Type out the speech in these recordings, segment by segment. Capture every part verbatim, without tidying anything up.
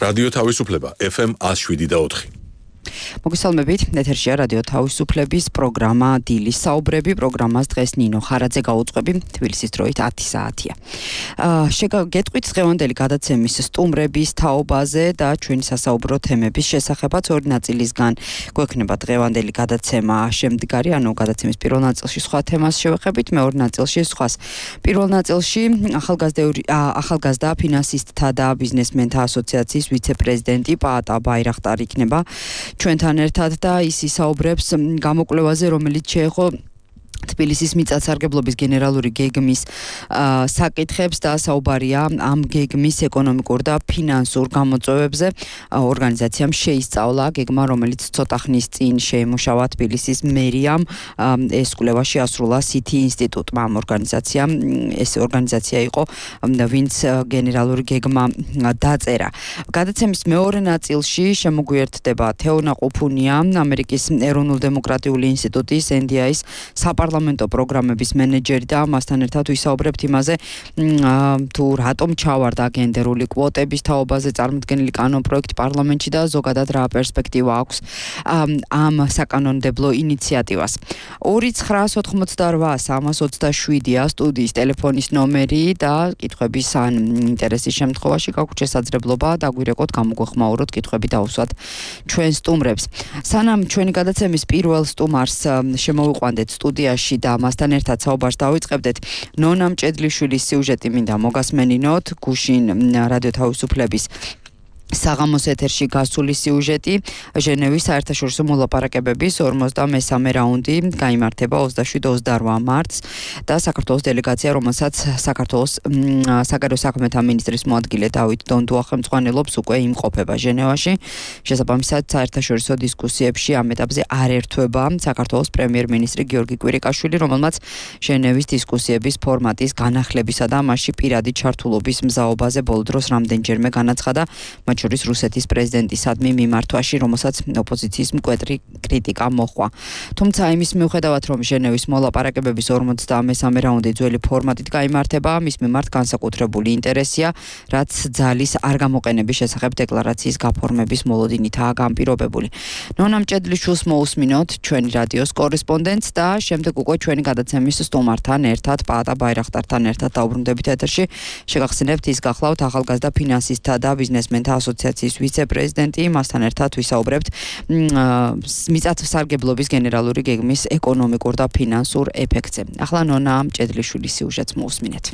რადიო თავისუფლება ეფ ემ ათს შვიდი და ოთხი. მოგესალმებით, ეთერშია რადიო თავისუფლების პროგრამა დილის საუბრები, პროგრამას დღეს ნინო ხარაძე გაუძღვები, თბილისის დროით ათი საათია. შეგაგეთყვით დღევანდელი გადაცემის სტუმრების თაობაზე და ჩვენი სასაუბრო თემების შესახებაც ორი ნაწილისგან გვექნება დღევანდელი გადაცემა შემდგარი, ანუ გადაცემის პირველ ნაწილში სხვა თემას შევეხებით, მეორე ნაწილში სხვას. პირველ ნაწილში ახალგაზრდა ფინანსისტთა და ბიზნესმენთა ასოციაციის ვიცე-პრეზიდენტი პაატა ბაირახტარი იქნება ჩვენთან ერთად და ის ისაუბრებს გამოკვლევაზე, რომელიც შეეხო თბილისის მიწათსარგებლობის გენერალური გეგმის საკითხებს და საუბარია ამ გეგმის ეკონომიკურ და ფინანსურ გამოწვევებზე. ორგანიზაციამ შეისწავლა გეგმა, რომელიც ცოტა ხნის წინ შეიმუშავა თბილისის მერიამ, ეს კვლევა შეასრულა სითი ინსტიტუტმა. ამ ორგანიზაციამ ეს ორგანიზაცია იყო, ვინც გენერალური გეგმა დაწერა. გადაცემის მეორე ნაწილში შემოგვიერთდება თეონა ყუფუნია, ამერიკის ეროვნულ-დემოკრატიული ინსტიტუტის ენ დი აის საპარლამენტო პროგრამების მენეჯერი და მასთან ერთად ვისაუბრებთ იმაზე, თუ რატომ ჩავარდა გენდერული კვოტების თაობაზე წარმოქმნილი კანონპროექტი პარლამენტში და ზოგადად რა პერსპექტივა აქვს ამ საკანონმდებლო ინიციატივას. ორი ცხრაას ოთხმოცდარვა სამას ოცდაშვიდია სტუდიის ტელეფონის ნომერი და კითხვების ან ინტერესის შემთხვევაში გაგვთ შესაძლებლობა დაგვირეკოთ, გამოგვეხმაუროთ კითხვები დავუსვათ ჩვენ სტუმრებს. სანამ ჩვენი გადაცემის პირველ სტუმარს შემოვიყვანდეთ სტუდიაში და მასთან ერთად საუბარს დავიწყებდეთ, ნონა მჭედლიშვილის სიუჟეტი მინდა მოგასმენინოთ, გუშინ რადიო თავისუფლების საღამოს ეთერში გასული სიუჟეტი, ჟენევის საერთაშორისო მოლაპარაკებების ორმოცდამესამე რაუნდი გაიმართება ოცდაშვიდ ოცდარვა მარტს და საქართველოს დელეგაცია, რომელსაც საქართველოს საგარეო საქმეთა მინისტრის მოადგილე დავით დონდუა ხელმძღვანელობს, უკვე იმყოფება ჟენევაში. შესაბამისად, საერთაშორისო დისკუსიებში ამ ეტაპზე არ ერთვება საქართველოს პრემიერ-მინისტრი გიორგი კვირიკაშვილი, რომელმაც ჟენევის დისკუსიების ფორმატის განახლებისა და მასში პირადი ჩართულობის მზაობაზე ბოლო დროს რამდენჯერმე განაცხადა, შორის რუსეთის პრეზიდენტისადმი მიმართვაში, რომელსაც ოპოზიციის მკვეთრი კრიტიკა მოჰყვა. თუმცა იმის მიუხედავად, რომ ჟენევის მოლაპარაკებების ორმოცდამესამე რაუნდი ძველი ფორმატით გაიმართება, მის მიმართ განსაკუთრებული ინტერესია, რაც ძალის არ გამოყენების შესახებ დეკლარაციის გაფორმების მოლოდინითაა განპირობებული. ნონა მჭედლიშვილს მოусმინოთ ჩვენი რადიოს კორესპონდენტს და შემდეგ უკვე ჩვენი გადაცემის სტუმართან ერთად, პაატა ბაირახტართან ერთად დაუბრუნდებით ეთერში. შეგახსენებთ, ის გახლავთ ახალგაზრდა ფინანსისტთა და ბიზნესმენთა ასოციაციის ვიცე-პრეზიდენტი, მასთან ერთად ვისაუბრებთ მიწათსარგებლობის გენერალური გეგმის ეკონომიკურ და ფინანსურ ეფექტზე. ახლა ნონა მჭედლიშვილის სიუჟეტს მოусმინეთ.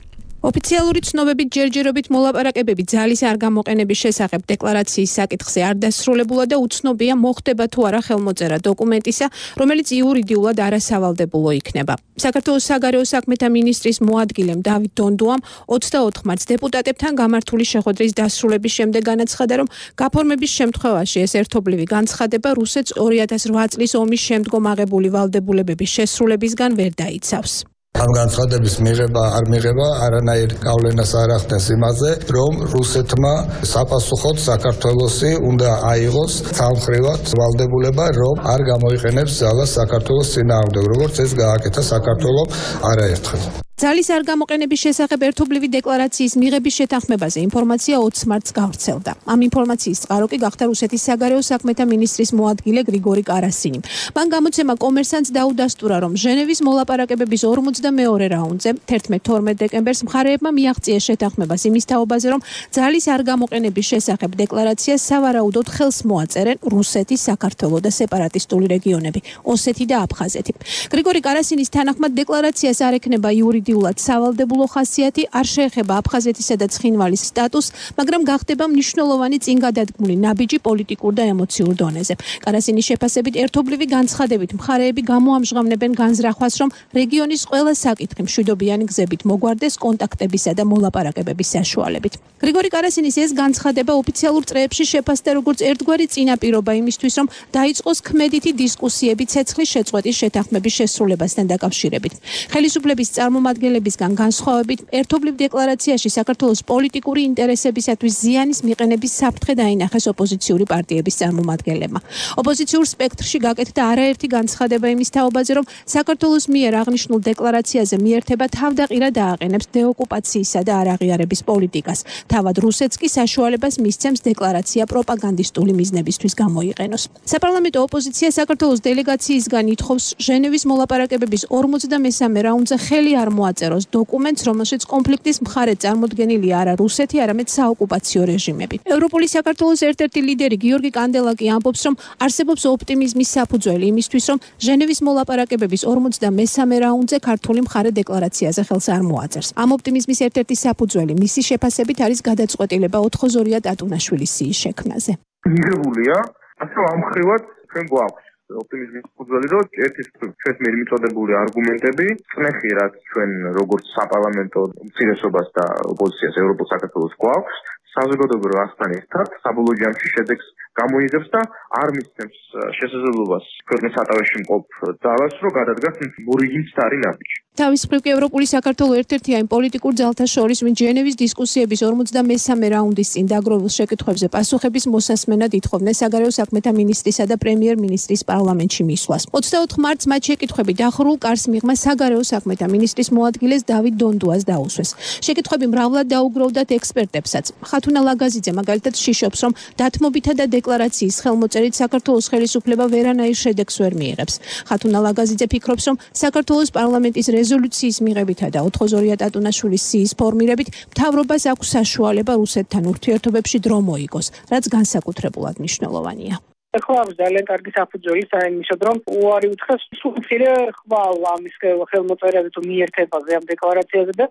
ოფიციალური ცნობებით ჯერჯერობით მოლაპარაკებები ძალის არ გამოყენების შესახებ დეკლარაციის საკითხზე არ დასრულებულა და უცნობია მოხდება თუ არა ხელმოწერა დოკუმენტისა, რომელიც იურიდიულად არასავალდებულო იქნება. საქართველოს საგარეო საქმეთა მინისტრის მოადგილემ დავით დონდუამ ოცდაოთხ მარტს დეპუტატებთან გამართული შეხვედრის დასრულების შემდეგ განაცხადა, რომ გაფორმების შემთხვევაში ეს ერთობლივი განცხადება რუსეთს ორი ათას რვა წლის ომის შემდგომ აღებული ვალდებულებების შესრულებისგან ვერ დაიცავს. ამ განცხადების მიღება არ მიღება არანაირ გავლენას არ ახდენს იმაზე, რომ რუსეთმა საპასუხოდ საქართველოსი უნდა აიღოს სამხრივად ვალდებულება, რომ არ გამოიყენებს ძალას საქართველოს წინააღმდეგ, როგორც ეს გააკეთა საქართველომ არაერთხელ. ძალის არ გამოყენების შესახებ ერთობლივი დეკლარაციის მიღების შეთანხმებაზე ინფორმაცია ოცდაოთხ მარტს გავრცელდა. ამ ინფორმაციის წყარო კი გახდა რუსეთის საგარეო საქმეთა მინისტრის მოადგილე გრიგორი კარასინი. მან გამოცემა კომერსანტს დაუდასტურა, რომ ჟენევის მოლაპარაკებების ორმოცდამეორე რაუნდზე თერთმეტ თორმეტ დეკემბერს მხარეებმა მიაღწიეს შეთანხმებას იმის თაობაზე, რომ ძალის არ გამოყენების შესახებ დეკლარაციას სავარაუდოდ ხელს მოაწერენ რუსეთი, საქართველო და სეპარატისტული რეგიონები, ოსეთი და აფხაზეთი. გრიგორი კარასინის თანახმად დეკლარაციას არ ექნება იურიდიულად სავალდებულო ხასიათი, არ შეეხება აფხაზეთისა და ცხინვალის სტატუსს, მაგრამ გახდება მნიშვნელოვანი წინგადადგმული ნაბიჯი პოლიტიკურ და ემოციურ დონეზე. კარასინის შეფასებით ერთობლივი განცხადებით მხარეები გამოამჟღავნებენ განზრახვას, რომ რეგიონის ყველა საკითხი მშვიდობიანი გზებით მოგვარდეს კონტაქტებისა და მოლაპარაკებების საშუალებით. გრიგორი კარასინის ეს განცხადება ოფიციალურ წრეებში შეფასდა როგორც ერთგვარი წინაპირობა იმისთვის, რომ დაიწყოს ქმედითი დისკუსიები ცეცხლის შეწყვეტის შეთანხმების შესრულებასთან დაკავშირებით. ხელისუფლების წარმომადგენლები წარმომადგენლებისგან განსხვავებით, ერთობლივ დეკლარაციაში საქართველოს პოლიტიკური ინტერესებისათვის ზიანის მიყენების საფრთხე დაინახეს ოპოზიციური პარტიების წარმომადგენლებმა. ოპოზიციურ სპექტრში გაკეთდა არაერთი განცხადება იმის თაობაზე, რომ საქართველოს მიერ აღნიშნულ დეკლარაციაზე მიერთება თავდაყირა დააყენებს დეოკუპაციისა და არაღიარების პოლიტიკას. თავად რუსეთს კი საშუალებას მისცემს დეკლარაცია პროპაგანდისტული მიზნებისთვის გამოიყენოს. საპარლამენტო ოპოზიცია საქართველოს დელეგაციისგან ითხოვს ჟენევის მოლაპარაკებების ორმოცდამესამე რაუნდზე ხელი არ მოაწეროს დოკუმენტს, რომელშიც კონფლიქტის მხარედ წარმოდგენილია არა რუსეთი, არამედ საოკუპაციო რეჟიმები. ევროპოლის საქართველოს ერთ-ერთი ლიდერი გიორგი კანდელაკი ამბობს, რომ არსებობს ოპტიმიზმის საფუძველი იმისთვის, რომ ჟენევის მოლაპარაკებების ორმოცდამესამე რაუნდზე ქართული მხარე დეკლარაციაზე ხელს არ მოაწერს. ამ ოპტიმიზმის ერთ-ერთი საფუძველი მისი შეფასებით არის გადაწყვეტილება ოთხოზორია ტატუნაშვილის სიის შექმნაზე. მიღებულია, ასე ამ ხრივად ჩვენ გვაქვს ოპტიმიზმის საფუძველი, რომ ერთის ჩვენს მიერ მიწოდებული არგუმენტები წნეხი, რაც ჩვენ როგორც საპარლამენტო უმცირესობას და ოპოზიციას ევროპულ საქართველოს გვაქვს, საზოგადოებრივ ასთან ერთად საბოლოო ჯამში შედეგს გამოიღებს და არ მისცემს შესაძლებლობას ქვეყნის სათავეში მყოფ ძალას, რომ გადადგას მორიგი მცდარი ნაბიჯი. თავის მხრივ კი ევროპული საქართველო ერთ-ერთი այն პოლიტიკურ ძალთა შორის, ვინც ჟენევის დისკუსიების ორმოცდამესამე რაუნდის წინ დაგროვილ შეკითხვებზე პასუხების მოსასმენად ითხოვდნენ საგარეო საქმეთა მინისტრისა და პრემიერ-მინისტრის პარლამენტში მისვლას. ოცდაოთხ მარტს მათ შეკითხვები დახურულ კარს მიღმა საგარეო საქმეთა მინისტრის მოადგილეს დავით დონდუას დაუსვეს. შეკითხვები მრავლად დაუგროვდათ ექსპერტებსაც. ხათუნა ლაგაზიძე მაგალითად შიშობს, რომ დათმობითა და დეკლარაციის ხელმოწერით საქართველოს ხელისუფლება ვერანაირ შედეგს ვერ მიიღებს. ხათუნა ლაგაზიძე ფიქრობს, რომ საქართველოს პარლამენტის რეზოლუციის მიღებითა და ოთხოზორია ტატუნაშვილის სიის ფორმირებით მთავრობას აქვს საშუალება რუსეთთან ურთიერთობებში დრო მოიგოს, რაც განსაკუთრებულად მნიშვნელოვანია. ახლა აქვს ძალიან კარგი საფუძველი საერთოდ, რომ უარი უთხრას სულ მცირე ხვალ ამის ხელმოწერაზე თუ მიერთებაზე ამ დეკლარაციაზე და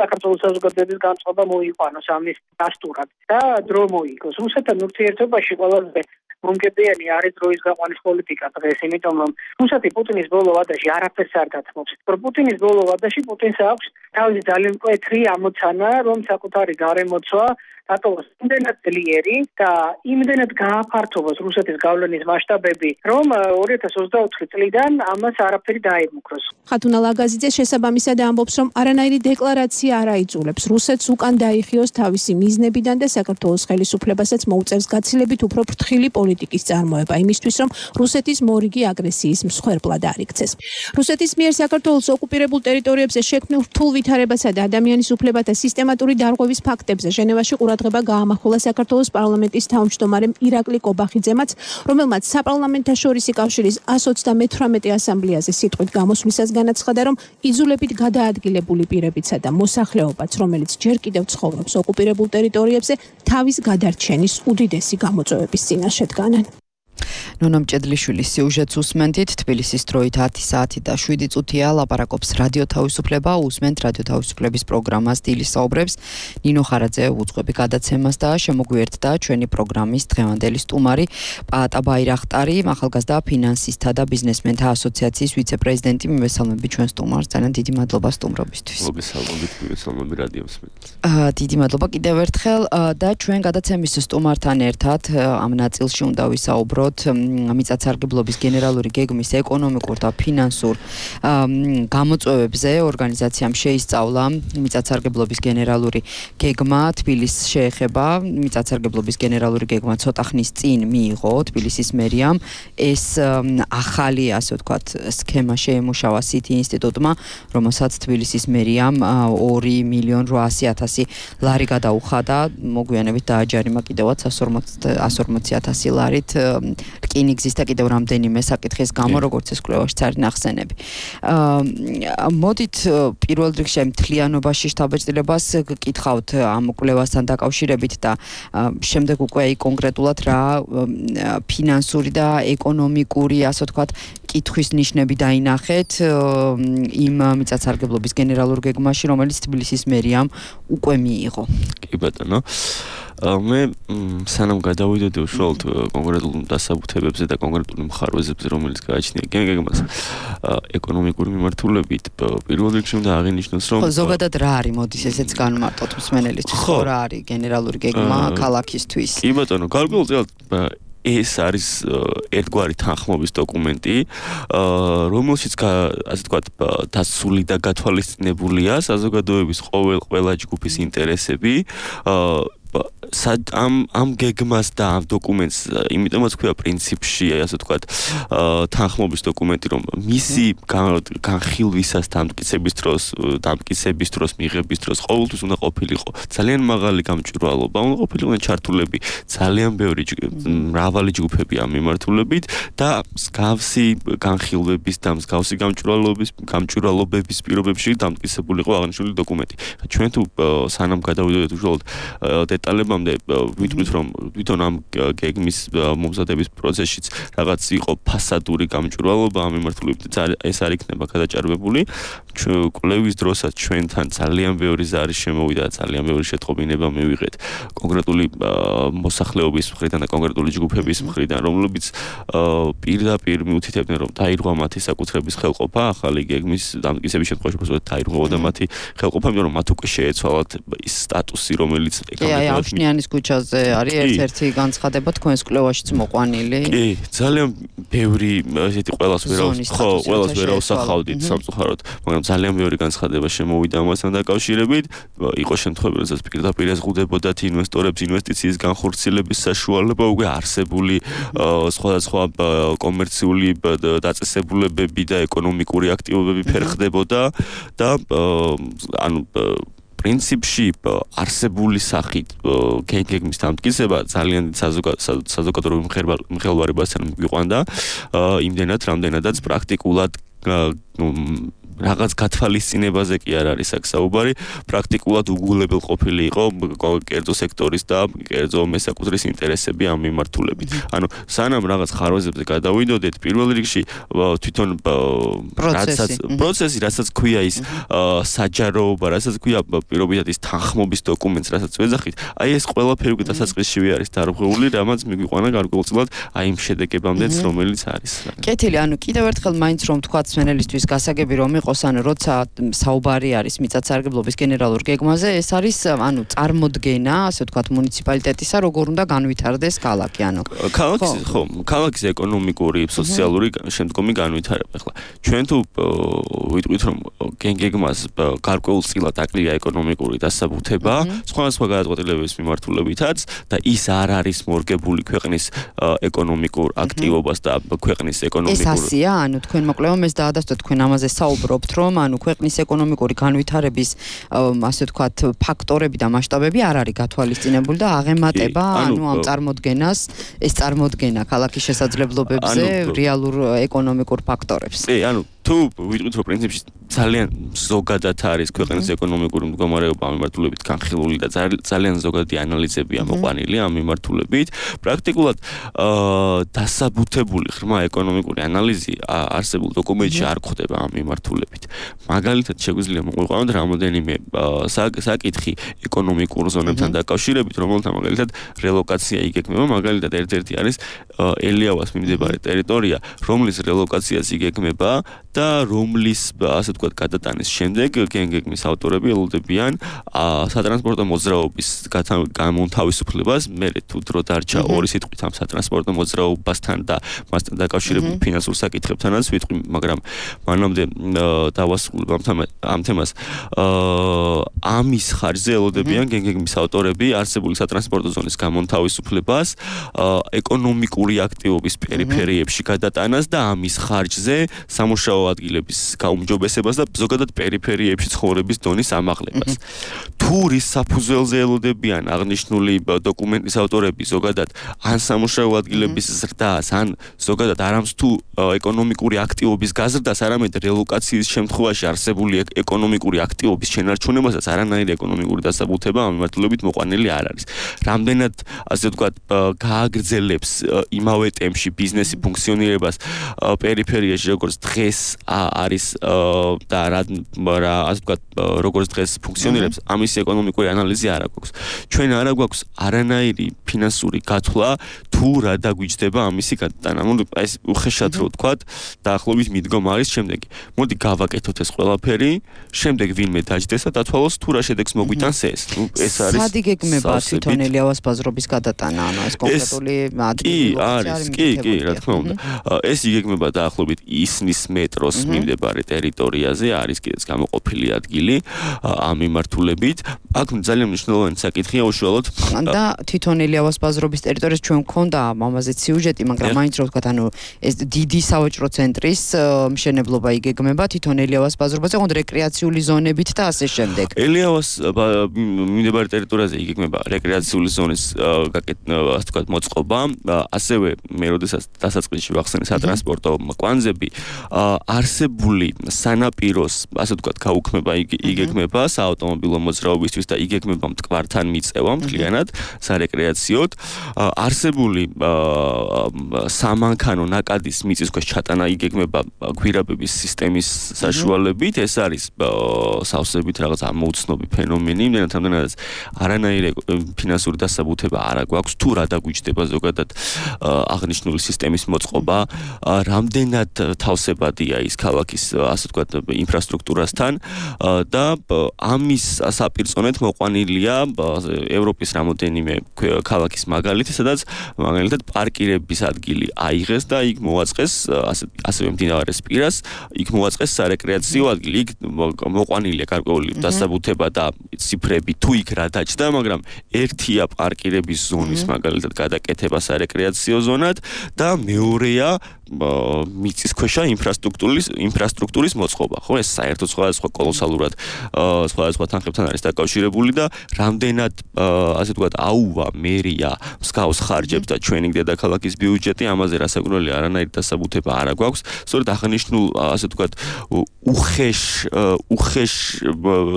საქართველოს საზოგადოების განწყობა მოიყვანოს ამის დასტურად და დრო მოიგოს. რუსეთთან ურთიერთობაში ყველაზე მომგებიანი არის დროის გაყვანის პოლიტიკა დღეს, იმიტომ რომ რუსეთი პუტინის ბოლო ვადაში არაფერს არ დათმობს. პუტინის ბოლო ვადაში პუტინს აქვს თავისი ძალიან მკვეთრი ამოცანა, რომ საკუთარი გარემოცვა დატოვოს იმდენად ძლიერი და იმდენად გააფართოვოს რუსეთის გავლენის მასშტაბები, რომ ორი ათას ოცდაოთხი წლიდან ამას არაფერი დაემუქროს. ხათუნა ლაგაზიძე შესაბამისად ამბობს, რომ არანაირი დეკლარაცია არ აიძულებს რუსეთს უკან დაიხიოს თავისი მიზნებიდან და საქართველოს ხელისუფლებასაც მოუწევს გაცილებით უფრო ფრთხილი პოლიტიკის წარმოება იმისთვის, რომ რუსეთის მორიგი აგრესიის მსხვერპლად არ იქცეს. რუსეთის მიერ საქართველოს ოკუპირებულ ტერიტორიებზე შექმნილ რთულ ვითარებასა და ადამიანის უფლებათა სისტემატური დარღვევის ფაქტებზე ჟენევაში ყურადღება გაამახვილა საქართველოს პარლამენტის თავმჯდომარემ ირაკლი კობახიძემაც, რომელმაც საპარლამენტთაშორისი კავშირის εκατს ოცდამეთვრამეტე ასამბლეაზე სიტყვით გამოსვლისას განაცხადა, რომ იძულებით გადაადგილებული პირებიცა და მოსახლეობაც, რომელიც ჯერ კიდევ ცხოვრობს ოკუპირებულ ტერიტორიებზე, თავის გადარჩენის უდიდესი გამოწვევების წინაშე დგანან. ნონა მჭედლიშვილის სიუჟეტს უსმენთ. თბილისის დროით ათი საათი და შვიდი წუთია ლაპარაკობს რადიო თავისუფლება. უსმენთ რადიო თავისუფლების პროგრამას დილის საუბრებს. ნინო ხარაძე უძღვები გადაცემას და შემოგვიერთდა ჩვენი პროგრამის დღევანდელი სტუმარი პაატა ბაირახტარი, ახალგაზრდა ფინანსისტთა და ბიზნესმენთა ასოციაციის ვიცე-პრეზიდენტი. მივესალმები ჩვენ სტუმარს. ძალიან დიდი მადლობა სტუმრობისთვის. მოგესალმებით, მივესალმები რადიო მსმენელს. დიდი მადლობა კიდევ ერთხელ და ჩვენ გადაცემის სტუმართან ერთად ამ ნაწილში უნდა ვისაუბროთ მიწათსარგებლობის გენერალური გეგმის ეკონომიკურ და ფინანსურ გამოწვევებზე. ორგანიზაციამ შეისწავლა მიწათსარგებლობის გენერალური გეგმა. თბილისს შეეხება. მიწათსარგებლობის გენერალური გეგმა ცოტა ხნის წინ მიიღო თბილისის მერიამ. ეს ახალი, ასე ვთქვათ, სქემა შეემუშავა სიტი ინსტიტუტმა, რომელსაც თბილისის მერიამ ორი მილიონი რვაასი ათასი ლარი გადაუხადა. მოგვიანებით დააჯარიმა კიდევაც εκατს ორმოცი ათასი ლარით რკინიგზის და კიდევ რამდენიმე საკითხის გამო, როგორც ეს კვლევაში არის ნახსენები. მოდით პირველ რიგში მთლიანობაში შთაბეჭდილებას გკითხავთ ამ კვლევასთან დაკავშირებით და შემდეგ უკვე კონკრეტულად რა ფინანსური და ეკონომიკური, ასე ვთქვათ, კითხვის ნიშნები დაინახეთ იმ მიწათსარგებლობის გენერალურ გეგმაში, რომელიც თბილისის მერიამ უკვე მიიღო. კი ბატონო. მე სანამ გადავიდოდი უშუალოდ კონკრეტულ დასაბუთებებზე და კონკრეტულ მხარვეზებზე, რომელიც გააჩნია გეგმას ეკონომიკური მიმართულებით, პირველ რიგში უნდა აღინიშნოს, რომ ზოგადად რა არის, მოდის ესეც განმარტოთ მსმენელისთვის, რა არის გენერალური გეგმა ქალაქისთვის. კი ბატონო, გარკვეულწილად ეს არის ერთგვარი თანხმობის დოკუმენტი, რომელშიც ასე ვთქვათ, დასული და გათვალისწინებულია საზოგადოების ყოველ ყველა ჯგუფის ინტერესები. ამ ამ გეგმას და ამ დოკუმენტს იმიტომაც ქვია პრინციპში, ასე ვთქვათ, თანხმობის დოკუმენტი, რომ მისი განხილვისას დამტკიცების დროს, დამტკიცების დროს, მიღების დროს ყოველთვის უნდა ყოფილიყო ძალიან მაღალი გამჭვირვალობა, უნდა ყოფილიყო ჩართულები ძალიან ბევრი მრავალი ჯგუფები ამ მიმართულებით და მსგავსი განხილვების და მსგავსი გამჭვირვალობის გამჭვირვალობების პირობებში დამტკიცებულიყო აღნიშნული დოკუმენტი. ჩვენ თუ სანამ გადავიდოდეთ უშუალოდ დეტალებამდე ვიტყვით რომ თვითონ ამ გეგმის მომზადების პროცესშიც რაღაც იყო ფასადური გამჭვირვალობა ამ მიმართულებით ეს არ იქნება გადაჭარბებული. კვლევის დროსაც ჩვენთან ძალიან ბევრი ზარი შემოვიდა, ძალიან ბევრი შეტყობინება მივიღეთ კონკრეტული მოსახლეობის მხრიდან და კონკრეტული ჯგუფების მხრიდან, რომლებიც პირდაპირ მიუთითებდნენ რომ დაირღვა მათი საკუთრების ხელყოფა, ახალი გეგმის დამტკიცების შემთხვევაში უბრალოდ დაირღვეოდა მათი ხელყოფა, იმიტომ რომ მათ უკვე შეეცვალათ ის სტატუსი, რომელიც ავშნიანის ქუჩაზე არის ერთ-ერთი განცხადება თქვენს კვლევაშიც მოყვანილი. კი, ძალიან ბევრი ესეთი ყველას ვერ ხო, ყველას ვერ ავსახავდით სამწუხაროდ, მაგრამ ძალიან ბევრი განცხადება შემოვიდა ამასთან დაკავშირებით. იყო შემთხვევები, როდესაც პირდაპირ ეზღუდებოდათ ინვესტორებს ინვესტიციის განხორციელების საშუალება, უკვე არსებული სხვადასხვა კომერციული დაწესებულებები და ეკონომიკური აქტივობები ფერხდებოდა და ანუ პრინციპში არსებული სახით გეგმის დამტკიცება ძალიან საზოგადოებრივ მხელვარებასთან მიყვანდა იმდენად, რამდენადაც პრაქტიკულად რაღაც გათვალისწინებაზე კი არ არის აქ საუბარი, პრაქტიკულად უგულებელ ყოფილი იყო კერძო სექტორის და კერძო მესაკუთრის ინტერესები ამ მიმართულებით. ანუ სანამ რაღაც ხარვეზებზე გადავიდოდეთ, პირველ რიგში თვითონ რასაც პროცესი, რასაც ქვია ის საჯაროობა, რასაც ქვია პირობითად ის თანხმობის დოკუმენტს, რასაც ვეძახით, აი ეს ყველაფერი უკვე დასაწყისშივე არის დარღვეული, რამაც მიგვიყვანა გარკვეულწილად აი იმ შედეგებამდეც, რომელიც არის. კეთილი, ანუ კიდევ ერთხელ მაინც რომ თქვა სვენელისთვის გასაგები რომ იყო ანუ როცა საუბარი არის მიწათსარგებლობის გენერალურ გეგმაზე, ეს არის ანუ წარმოდგენა, ასე ვთქვათ, მუნიციპალიტეტისა, როგორ უნდა განვითარდეს ქალაქი, ანუ ქალაქის ხო, ქალაქის ეკონომიკური, სოციალური შემდგომი განვითარება. ახლა ჩვენ თუ ვიტყვით რომ გეგმას გარკვეულწილად აკლია ეკონომიკური დასაბუთება, სხვადასხვა გადაწყვეტილებების მიმართულებითაც და ის არ არის მორგებული ქვეყნის ეკონომიკურ აქტივობას და ქვეყნის ეკონომიკურ ეს ასია, ანუ თქვენ მოკლევამ ეს დაადასტურეთ, თქვენ ამაზე საუბრობთ რომ ანუ ქვეყნის ეკონომიკური განვითარების ასე ვთქვათ ფაქტორები და მასშტაბები არ არის გათვალისწინებული და აღემატება ანუ ამ წარმოდგენას ეს წარმოდგენა ქალაქის შესაძლებლობებზე რეალურ ეკონომიკურ ფაქტორებს. კი, ანუ თუ ვიტყვით რომ პრინციპში ძალიან ზოგადად არის ქვეყნის ეკონომიკური მდგომარეობა ამ მიმართულებით განხილული და ძალიან ზოგადი ანალიზებია მოყვანილი ამ მიმართულებით. პრაქტიკულად დასაბუთებული ღრმა ეკონომიკური ანალიზი არსებულ დოკუმენტში არ გვხდება ამ მიმართულებით. მაგალითად შეგვიძლია მოყვანოთ რამოდენიმე საკითხი ეკონომიკურ ზონებთან დაკავშირებით, რომელთა მაგალითად რელოკაცია იგეგმება, მაგალითად ერთ-ერთი არის ელიავას მიმდებარე ტერიტორია, რომლის რელოკაციას იგეგმება და რომლის ასე ვთქვათ გადატანის შემდეგ გეგმის ავტორები ელოდებიან სატრანსპორტო მოძრაობის გამონთავისუფლებას. მე თუ დრო დარჩა ორი სიტყვით ამ სატრანსპორტო მოძრაობასთან და მასთან დაკავშირებულ ფინანსურ საკითხებთანაც ვიტყვი, მაგრამ მანამდე დავასრულებ ამ თემას. ამის ხარჯზე ელოდებიან გეგმის ავტორები არსებული სატრანსპორტო ზონის გამონთავისუფლებას, ეკონომიკური აქტივობის პერიფერიებში გადატანას და ამის ხარჯზე სამუშაო ადგილების გაუმჯობესებას და ზოგადად პერიფერიებში ცხოვრების დონის ამაღლებას. თუ რის საფუძველზე ელოდებიან აღნიშნული დოკუმენტის ავტორები ზოგადად ან სამუშაო ადგილების ზრდას, ან ზოგადად არამც თუ ეკონომიკური აქტივობის გაზრდას, არამედ რელოკაციის შემთხვევაში არსებული ეკონომიკური აქტივობის შენარჩუნებასაც არანაირი ეკონომიკური დასაბუთება ამ მიმართულებით მოყვანილი არ არის. რამდენად ასე ვთქვათ გააგრძელებს იმავე ტემპში ბიზნესი ფუნქციონირებას პერიფერიაში, როგორც დღეს არის და რა რა ასე ვთქვათ როგორც დღეს ფუნქციონირებს ამის ეკონომიკური ანალიზი არ აქვს ჩვენ არ გვაქვს არანაირი ფინანსური გათვლა თუ რა დაგვიჯდება ამისი გადატანა მოდი ეს უხეშად რო ვთქვათ დაახლოებით მიდგომა არის შემდეგი მოდი გავაკეთოთ ეს ყველაფერი შემდეგ ვინმე დაჯდეს და დათვალოს თუ რა შედეგს მოგვიტანს ეს ნუ ეს არის სადი გეგმება თვითონ ელიავას ბაზრობის გადატანა ანუ ეს კონკრეტული ადგილი არის კი კი რა თქმა უნდა ეს იგეგმება დაახლოებით ისნის მეტროს მიმდებარე ტერიტორიაზე არის კიდეც გამოყოფილი ადგილი ამ მიმართულებით აქ ძალიან მნიშვნელოვანი საკითხია უშუალოდ და თვითონ ელიავას ბაზრობის ტერიტორიაზე ჩვენ გქონდა ამაზე სიუჟეტი მაგრამ მაინც რო ვთქვათ ანუ ეს დიდი სავაჭრო ცენტრის მშენებლობა იგეგმება თვითონ ელიავას ბაზრობაზე ოღონდ რეკრეაციული ზონებით და ასე შემდეგ ელიავას მიმდებარე ტერიტორიაზე იგეგმება რეკრეაციული ზონის ასე ვთქვათ მოწყობა ასევე მე როდესაც დასაწყისში ვახსენე სატრანსპორტო კვანძები არსებული სანაპიროს ასე ვთქვათ გაუქმება იგეგმება საავტომობილო მოძრაობისთვის და იგეგმება მტკვართან მიწევა მთლიანად სარეკრეაციოდ არსებული სამანქანო ნაკადის მიწისქვეშ ჩატანა იგეგმება გვირაბების სისტემის საშუალებით ეს არის სავსებით რაღაც ამოუცნობი ფენომენი იმდენად ამდენადაც არანაირი ფინანსური დასაბუთება არ გვაქვს თუ რა დაგვიჯდება ზოგადად აღნიშნული სისტემის მოწყობა რამდენად თავსებადია ის ქალაქის ასე ვთქვათ ინფრასტრუქტურასთან და ამის საპირწონედ მოყვანილია ევროპის რამოდენიმე ქალაქის მაგალითი სადაც მაგალითად პარკირების ადგილი აიღეს და იქ მოაწყეს ასევე მდინარის პირას იქ მოაწყეს სარეკრეაციო ადგილი იქ მოყვანილია გარკვეული დასაბუთება და ციფრები თუ იქ რა დაჯდა მაგრამ ერთია პარკირების ზონის მაგალითად გადაკეთება სარეკრეაციო ზონად და მეორეა მიწისქვეშა ინფრასტრუქტურის ინფრასტრუქტურის მოწყობა ხო ეს საერთოდ სხვადასხვა კოლოსალურად სხვადასხვა თანხებთან არის დაკავშირებული და რამდენად ასე ვთქვათ აუვა მერია მსგავს ხარჯებს და ჩვენი დედაქალაქის ბიუჯეტი ამაზე რასაკვირველია არანაირი დასაბუთება არ გვაქვს სწორედ აღნიშნულ ასე ვთქვათ უხეშ უხეშ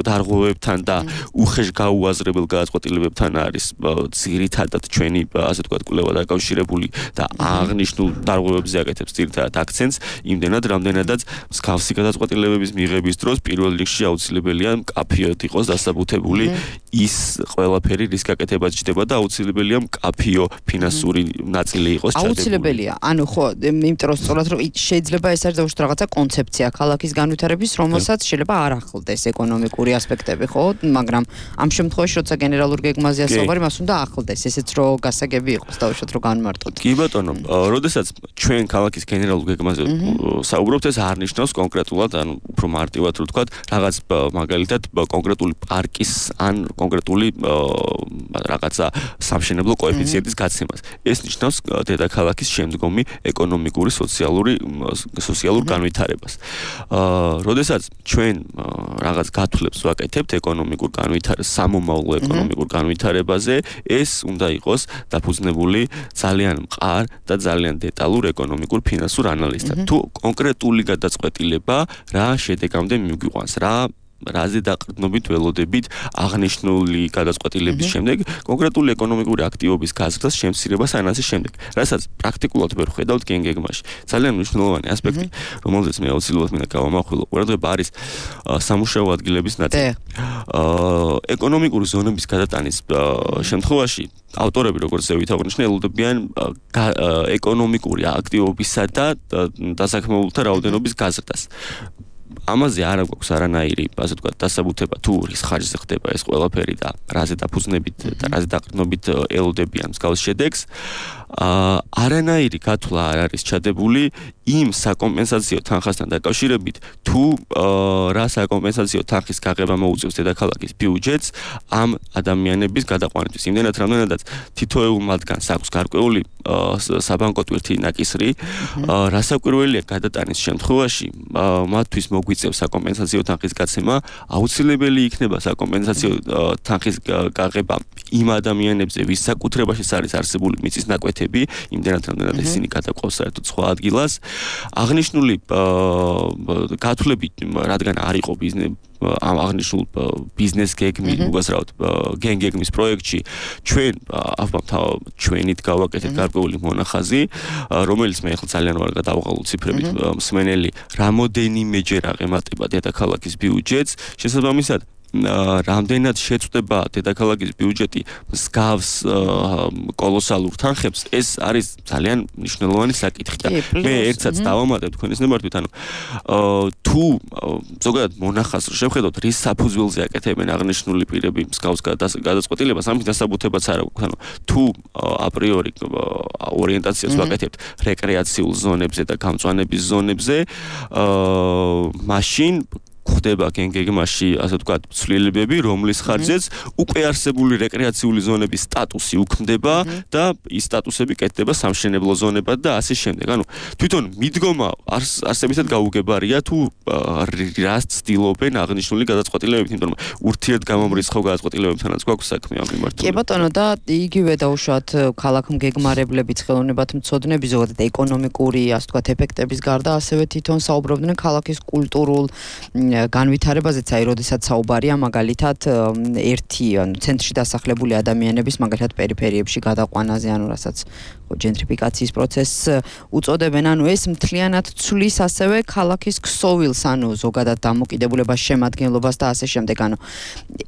დარღვევებთან და უხეშ გაუაზრებელ გადაწყვეტილებებთან არის ძირითადად ჩვენი ასე ვთქვათ კვლევა დაკავშირებული და აღნიშნულ დარღვევებზე აკეთებს ძირითადად აქცენტს იმდენად რამდენადაც მსგავსი გადაწყვეტილებების მიღების დროს პირველ რიგში აუცილებელია მკაფიოდ იყოს დასაბუთებული ის ყველაფერი რის გაკეთებაც ჯდება და აუცილებელია მკაფიო ფინანსური ნაწილი იყოს ჩადებული. აუცილებელია. ანუ ხო, იმიტომ რომ სწორად რომ შეიძლება ეს არის დაუშვათ რაღაცა კონცეფცია ქალაქის განვითარების, რომელსაც შეიძლება არ ახლდეს ეკონომიკური ასპექტები, ხო? მაგრამ ამ შემთხვევაში როცა გენერალურ გეგმაზეა საუბარი, მას უნდა ახლდეს, ესეც რო გასაგები იყოს დაუშვათ რომ განმარტოთ. კი ბატონო, როდესაც ჩვენ ქალაქის გენერალურ გეგმაზე საუბრობთ, ეს არ ნიშნავს კონკრეტულად, ანუ უფრო მარტივად რო ვთქვათ, რაღაც მაგალითად კონკრეტული პარკის ან კონკრეტული რაღაცა სამშენებლო კოეფიციენტის გაცემას. ეს ნიშნავს დედაქალაქის შემდგომი ეკონომიკური, სოციალური სოციალურ განვითარებას. აა, როდესაც ჩვენ რაღაც გათვლებს ვაკეთებთ ეკონომიკურ განვითარებას, სამომავლო ეკონომიკურ განვითარებაზე, ეს უნდა იყოს დაფუძნებული ძალიან მყარ და ძალიან დეტალურ ეკონომიკურ ფინანსურ ანალიზთან. თუ კონკრეტული გადაწყვეტილება რა შედეგამდე მიგვიყვანს, რა რაზე დაყრდნობით ველოდებით აღნიშნული გადაწყვეტილების შემდეგ კონკრეტული ეკონომიკური აქტივობის გაზრდას, შემცირებას ან ასე შემდეგ. რასაც პრაქტიკულად ვერ ხედავთ გეგმაში. ძალიან მნიშვნელოვანი ასპექტი, რომელზეც მე აუცილებლად მინდა გავამახვილო, ყურადღება არის სამუშაო ადგილების ნაწილი. აა ეკონომიკური ზონების გადატანის შემთხვევაში ავტორები, როგორც ზევით აღნიშნე, ელოდებიან ეკონომიკური აქტივობისა და დასაქმებულთა რაოდენობის გაზრდას. ამაზე არ აქვს არანაირი, ასე ვთქვათ, დასაბუთება თუ რის ხარჯზე ხდება ეს ყველაფერი და რაზე დაფუძნებით და რაზე დაყრდნობით ელოდებიან მსგავს შედეგს. აა არანაირი გათვლა არ არის ჩადებული იმ საკომპენსაციო თანხასთან დაკავშირებით, თუ რა საკომპენსაციო თანხის გაღება მოუწევს დედაქალაქის ბიუჯეტს ამ ადამიანების გადაყვანისთვის. იმდენად რამდენადაც თითოეულ მათგანს აქვს გარკვეული საბანკო ტვირთი ნაკისრი, რასაკვირველია გადატანის შემთხვევაში მათთვის მოგვიწევს საკომპენსაციო თანხის გაცემა, აუცილებელი იქნება საკომპენსაციო თანხის გაღება იმ ადამიანებზე, ვის საკუთრებაშიც არის არსებული მიწის ნაკვეთები პროექტები, იმდენად რამდენად ისინი გადაყვავს საერთოდ სხვა ადგილას. აღნიშნული გათვლებით, რადგან არ იყო ბიზნესი ამ აღნიშნულ ბიზნეს გეგმის უგასრავად გენგეგმის პროექტში ჩვენ ალბათ ჩვენით გავაკეთეთ გარკვეული მონახაზი, რომელიც მე ახლა ძალიან ვარ გადავღალულ ციფრებით მსმენელი, რამოდენიმეჯერ აღემატება დედაქალაქის ბიუჯეტს, შესაბამისად რამდენად შეწყვეტება დედაქალაქის ბიუჯეტი მსგავს კოლოსალურ თანხებს, ეს არის ძალიან მნიშვნელოვანი საკითხი და მე ერთსაც დავამატებ თქვენის ნებართვით, ანუ თუ ზოგადად მონახაზს შევხედოთ, რის საფუძველზე აკეთებენ აღნიშნული პირები მსგავს გადაწყვეტილებას, ამის დასაბუთებაც არ აქვს, ანუ თუ აპრიორი ორიენტაციას ვაკეთებთ რეკრეაციულ ზონებზე და გამწვანების ზონებზე, მაშინ ხდება გენგეგმაში, ასე ვთქვათ, ცვლილებები, რომლის ხარჯზეც უკვე არსებული რეკრეაციული ზონების სტატუსი უქმდება და ის სტატუსები კეთდება სამშენებლო ზონებად და ასე შემდეგ. ანუ თვითონ მიდგომა არსებითად გაუგებარია თუ რას ცდილობენ აღნიშნული გადაწყვეტილებებით, იმიტომ რომ ურთიერთგამომრიცხავ გადაწყვეტილებებთანაც გვაქვს საქმე ამ მიმართულებით. კი ბატონო, და იგივე დაუშვათ ქალაქმგეგმარებლები, ხელოვნებათმცოდნები, ზოგადად ეკონომიკური, ასე ვთქვათ, ეფექტების გარდა ასევე თვითონ საუბრობდნენ ქალაქის კულტურულ განვითარებაზეც, აი, როდესაც საუბარია მაგალითად ერთი, ანუ ცენტრში დასახლებული ადამიანების მაგალითად პერიფერიებში გადაყვანაზე, ანუ რასაც ჯენტრიფიკაციის პროცესს უწოდებენ, ანუ ეს მთლიანად ცვლის ასევე ქალაქის ქსოვილს, ანუ ზოგადად დამოკიდებულებას, შემადგენლობას და ასე შემდეგ, ანუ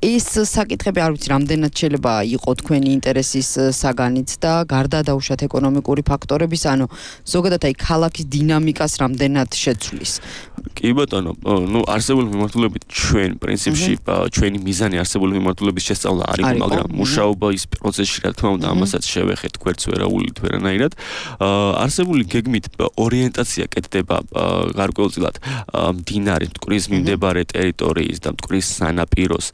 ეს საკითხები არ ვიცი, რამდენად შეიძლება იყო თქვენი ინტერესის საგანიც და გარდა დაუშვათ ეკონომიკური ფაქტორების, ანუ ზოგადად აი ქალაქის დინამიკას რამდენად შეცვლის. კი ბატონო, ნუ არსებული მიმართულებით ჩვენ პრინციპში ჩვენი მიზანი არსებული მიმართულების შესწავლა არ იყო, მაგრამ მუშაობა ის პროცესში, რა თქმა უნდა, ამასაც შევეხეთ გვერდს ვერაულით ვერანაირად. არსებული გეგმით ორიენტაცია კეთდება გარკვეულწილად მდინარის მტკვრის მიმდებარე ტერიტორიის და მტკვრის სანაპიროს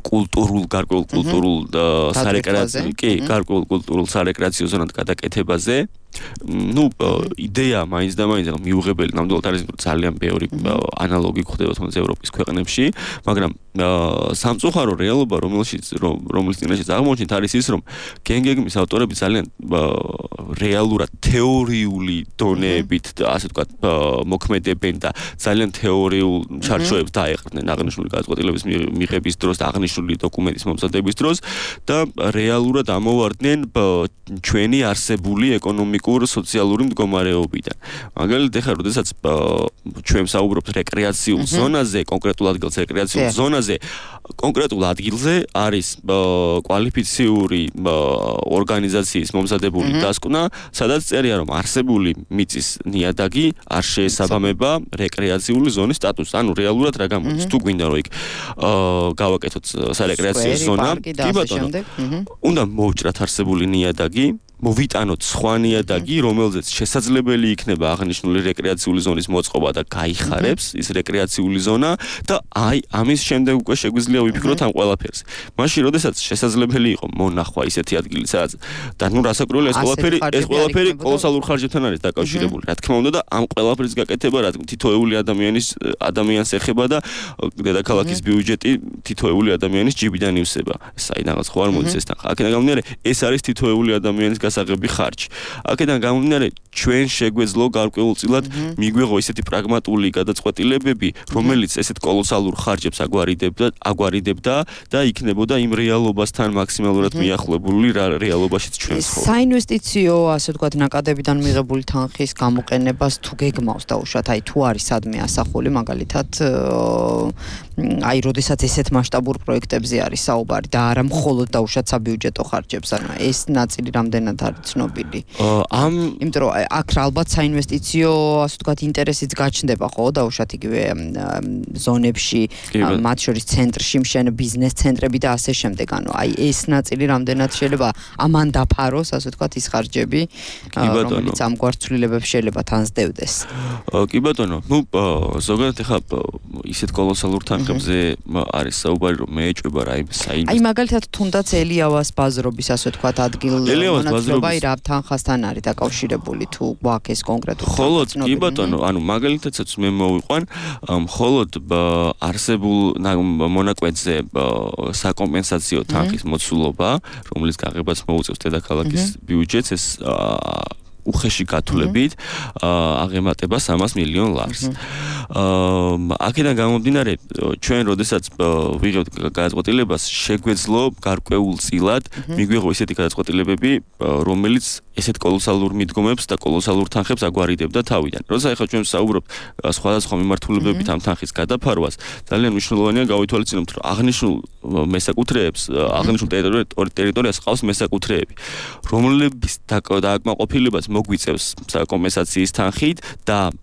კულტურულ, გარკვეულ კულტურულ სარეკრეაციო, კი, გარკვეულ კულტურულ სარეკრეაციო ზონად გადაკეთებაზე. ნუ იდეა მაინც და მაინც მიუღებელი, ნამდვილად არის ძალიან ბევრი ანალოგი გვხდება თუნდაც ევროპის ქვეყნებში, მაგრამ სამწუხარო რეალობა, რომელშიც რომლის წინაშეც აღმოჩნდით, არის ის, რომ გენგეგმის ავტორები ძალიან რეალურად თეორიული დონეებით, ასე ვთქვათ, მოქმედებენ და ძალიან თეორიულ ჩარჩოებს დაეყრდნენ აღნიშნული გადაწყვეტილების მიღების დროს და აღნიშნული დოკუმენტის მომზადების დროს და რეალურად ამოვარდნენ ჩვენი არსებული ეკონომიკური სოციალური მდგომარეობიდან. მაგალითად, ეხლა როდესაც ჩვენ საუბრობთ რეკრეაციულ ზონაზე, კონკრეტულ ადგილზე, რეკრეაციულ ზონაზე, კონკრეტულ ადგილზე არის კვალიფიციური ორგანიზაციის მომზადებული დასკვნა, სადაც წერია, რომ არსებული მიწის ნიადაგი არ შეესაბამება რეკრეაციული ზონის სტატუსს. ანუ რეალურად რა გამოდის? თუ გვინდა რომ იქ გავაკეთოთ სარეკრეაციო ზონა, კი ბატონო, უნდა მოვჭრათ არსებული ნიადაგი, მოვიტანოთ სხვა ნიადაგი, რომელზეც შესაძლებელი იქნება აღნიშნული რეკრეაციული ზონის მოწყობა და გაიხარებს ის რეკრეაციული ზონა და აი ამის შემდეგ უკვე შეგვიძლია ვიფიქროთ ამ ყველაფერზე. მაშინ, როდესაც შესაძლებელი იყო მონახვა ისეთი ადგილი, სადაც და ნუ რასაკვირველია, ეს ყველაფერი, ეს ყველაფერი კოლოსალურ ხარჯებთან არის დაკავშირებული. რა თქმა უნდა და ამ ყველაფრის გაკეთება, რა თითოეული ადამიანის ადამიანს ეხება და დედაქალაქის ბიუჯეტი თითოეული ადამიანის ჯიბიდან ივსება. საიდანაც ხო არ მოდის ეს თანხა. აქედან გამომდინარე, ეს არის თითოეული ადამიანის გასაღები ხარჯი. აქედან გამომდინარე, ჩვენ შეგვეძლო გარკვეულწილად მიგვეღო ისეთი პრაგმატული გადაწყვეტილებები, რომელიც ესეთ კოლოსალურ ხარჯებს აგვარიდებდა, აგვარიდებდა და იქნებოდა იმ რეალობასთან მაქსიმალურად მიახლებული რეალობაშიც ჩვენ ხო. საინვესტიციო, ასე ვთქვათ, ნაკადებიდან მიღებული თანხის გამოყენებას თუ გეგმავს დაუშვათ, აი თუ არის სადმე ასახული, მაგალითად, აი, როდესაც ესეთ მასშტაბურ პროექტებზე არის საუბარი და არა მხოლოდ დაუშვათ საბიუჯეტო ხარჯებს, ანუ ეს ნაწილი რამდენად არის ცნობილი. ამ იმიტომ რომ აქ ალბათ საინვესტიციო, ასე ვთქვათ, ინტერესიც გაჩნდება, ხო, დაუშვათ იგივე ზონებში, მათ შორის ცენტრში მშენ ბიზნეს ცენტრები და ასე შემდეგ. ანუ აი ეს ნაწილი რამდენად შეიძლება ამან დაფაროს, ასე ვთქვათ, ის ხარჯები, რომელიც ამგვარ ცვლილებებს შეიძლება თან სდევდეს. კი ბატონო, ნუ ზოგადად ეხა ისეთ კოლოსალურ თანხებს თანხებზე არის საუბარი, რომ მეეჭვება რაიმე საინვესტიციო. აი მაგალითად თუნდაც ელიავას ბაზრობის ასე ვთქვათ ადგილ მონაცვლეობა რა თანხასთან არის დაკავშირებული თუ გვაქვს ეს კონკრეტული ხოლოდ კი ბატონო, ანუ მაგალითადაც მე მოვიყვან, ხოლოდ არსებულ მონაკვეთზე საკომპენსაციო თანხის მოცულობა, რომლის გაღებაც მოუწევს დედაქალაქის ბიუჯეტს, ეს უხეში გათვლებით აღემატება სამას მილიონ ლარს. აქედან გამომდინარე, ჩვენ როდესაც ვიღებთ გადაწყვეტილებას, შეგვეძლო გარკვეულ წილად მიგვიღო ისეთი გადაწყვეტილებები, რომელიც ესეთ კოლოსალურ მიდგომებს და კოლოსალურ თანხებს აგვარიდებდა თავიდან. როცა ახლა ჩვენ ვსაუბრობთ სხვადასხვა მიმართულებებით ამ თანხის გადაფარვას, ძალიან მნიშვნელოვანია გავითვალისწინოთ, რომ აღნიშნულ მესაკუთრეებს, აღნიშნულ ტერიტორიას ყავს მესაკუთრეები, რომლების დააკმაყოფილებას მოგვიწევს კომპენსაციის თანხით და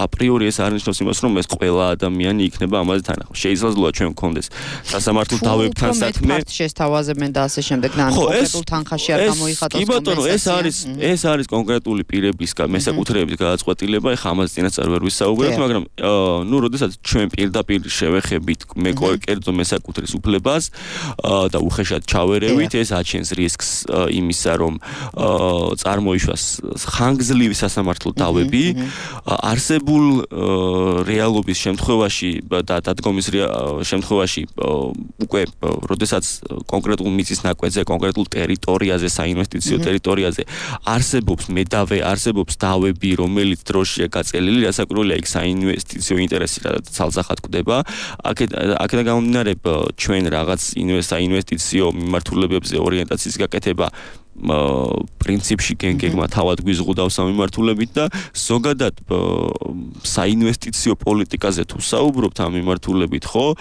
აპრიორი ეს არ ნიშნავს იმას, რომ ეს ყველა ადამიანი იქნება ამაზე თანახმად. შეიძლება ჩვენ გქონდეს სასამართლო დავებთან საქმე. შესთავაზებენ და ასე შემდეგ და ან კონკრეტულ თანხაში არ გამოიხატოს კომპენსაცია. არის ეს არის კონკრეტული პირების მესაკუთრეების გადაწყვეტილება, ეხლა ამაზე წინასწარ ვერ ვისაუბრებთ, მაგრამ ნუ როდესაც ჩვენ პირდაპირ შევეხებით მე კერძო მესაკუთრის უფლებას და უხეშად ჩავერევით, ეს აჩენს რისკს იმისა, რომ წარმოიშვას ხანგრძლივი სასამართლო დავები, არსებულ რეალობის შემთხვევაში და დადგომის შემთხვევაში უკვე როდესაც კონკრეტულ მიწის ნაკვეთზე, კონკრეტულ ტერიტორიაზე, საინვესტიციო ტერიტორიაზე არსებობს მედავე, არსებობს დავები, რომელიც დროშია გაწელილი, რასაკვირველია იქ საინვესტიციო ინტერესი და ცალსახად გვდება. აქედან გამომდინარე, ჩვენ რაღაც საინვესტიციო მიმართულებებზე ორიენტაციის გაკეთება პრინციპში გენგეგმა თავად გვიზღუდავს ამ მიმართულებით და ზოგადად საინვესტიციო პოლიტიკაზე თუ საუბრობთ ამ მიმართულებით, ხო,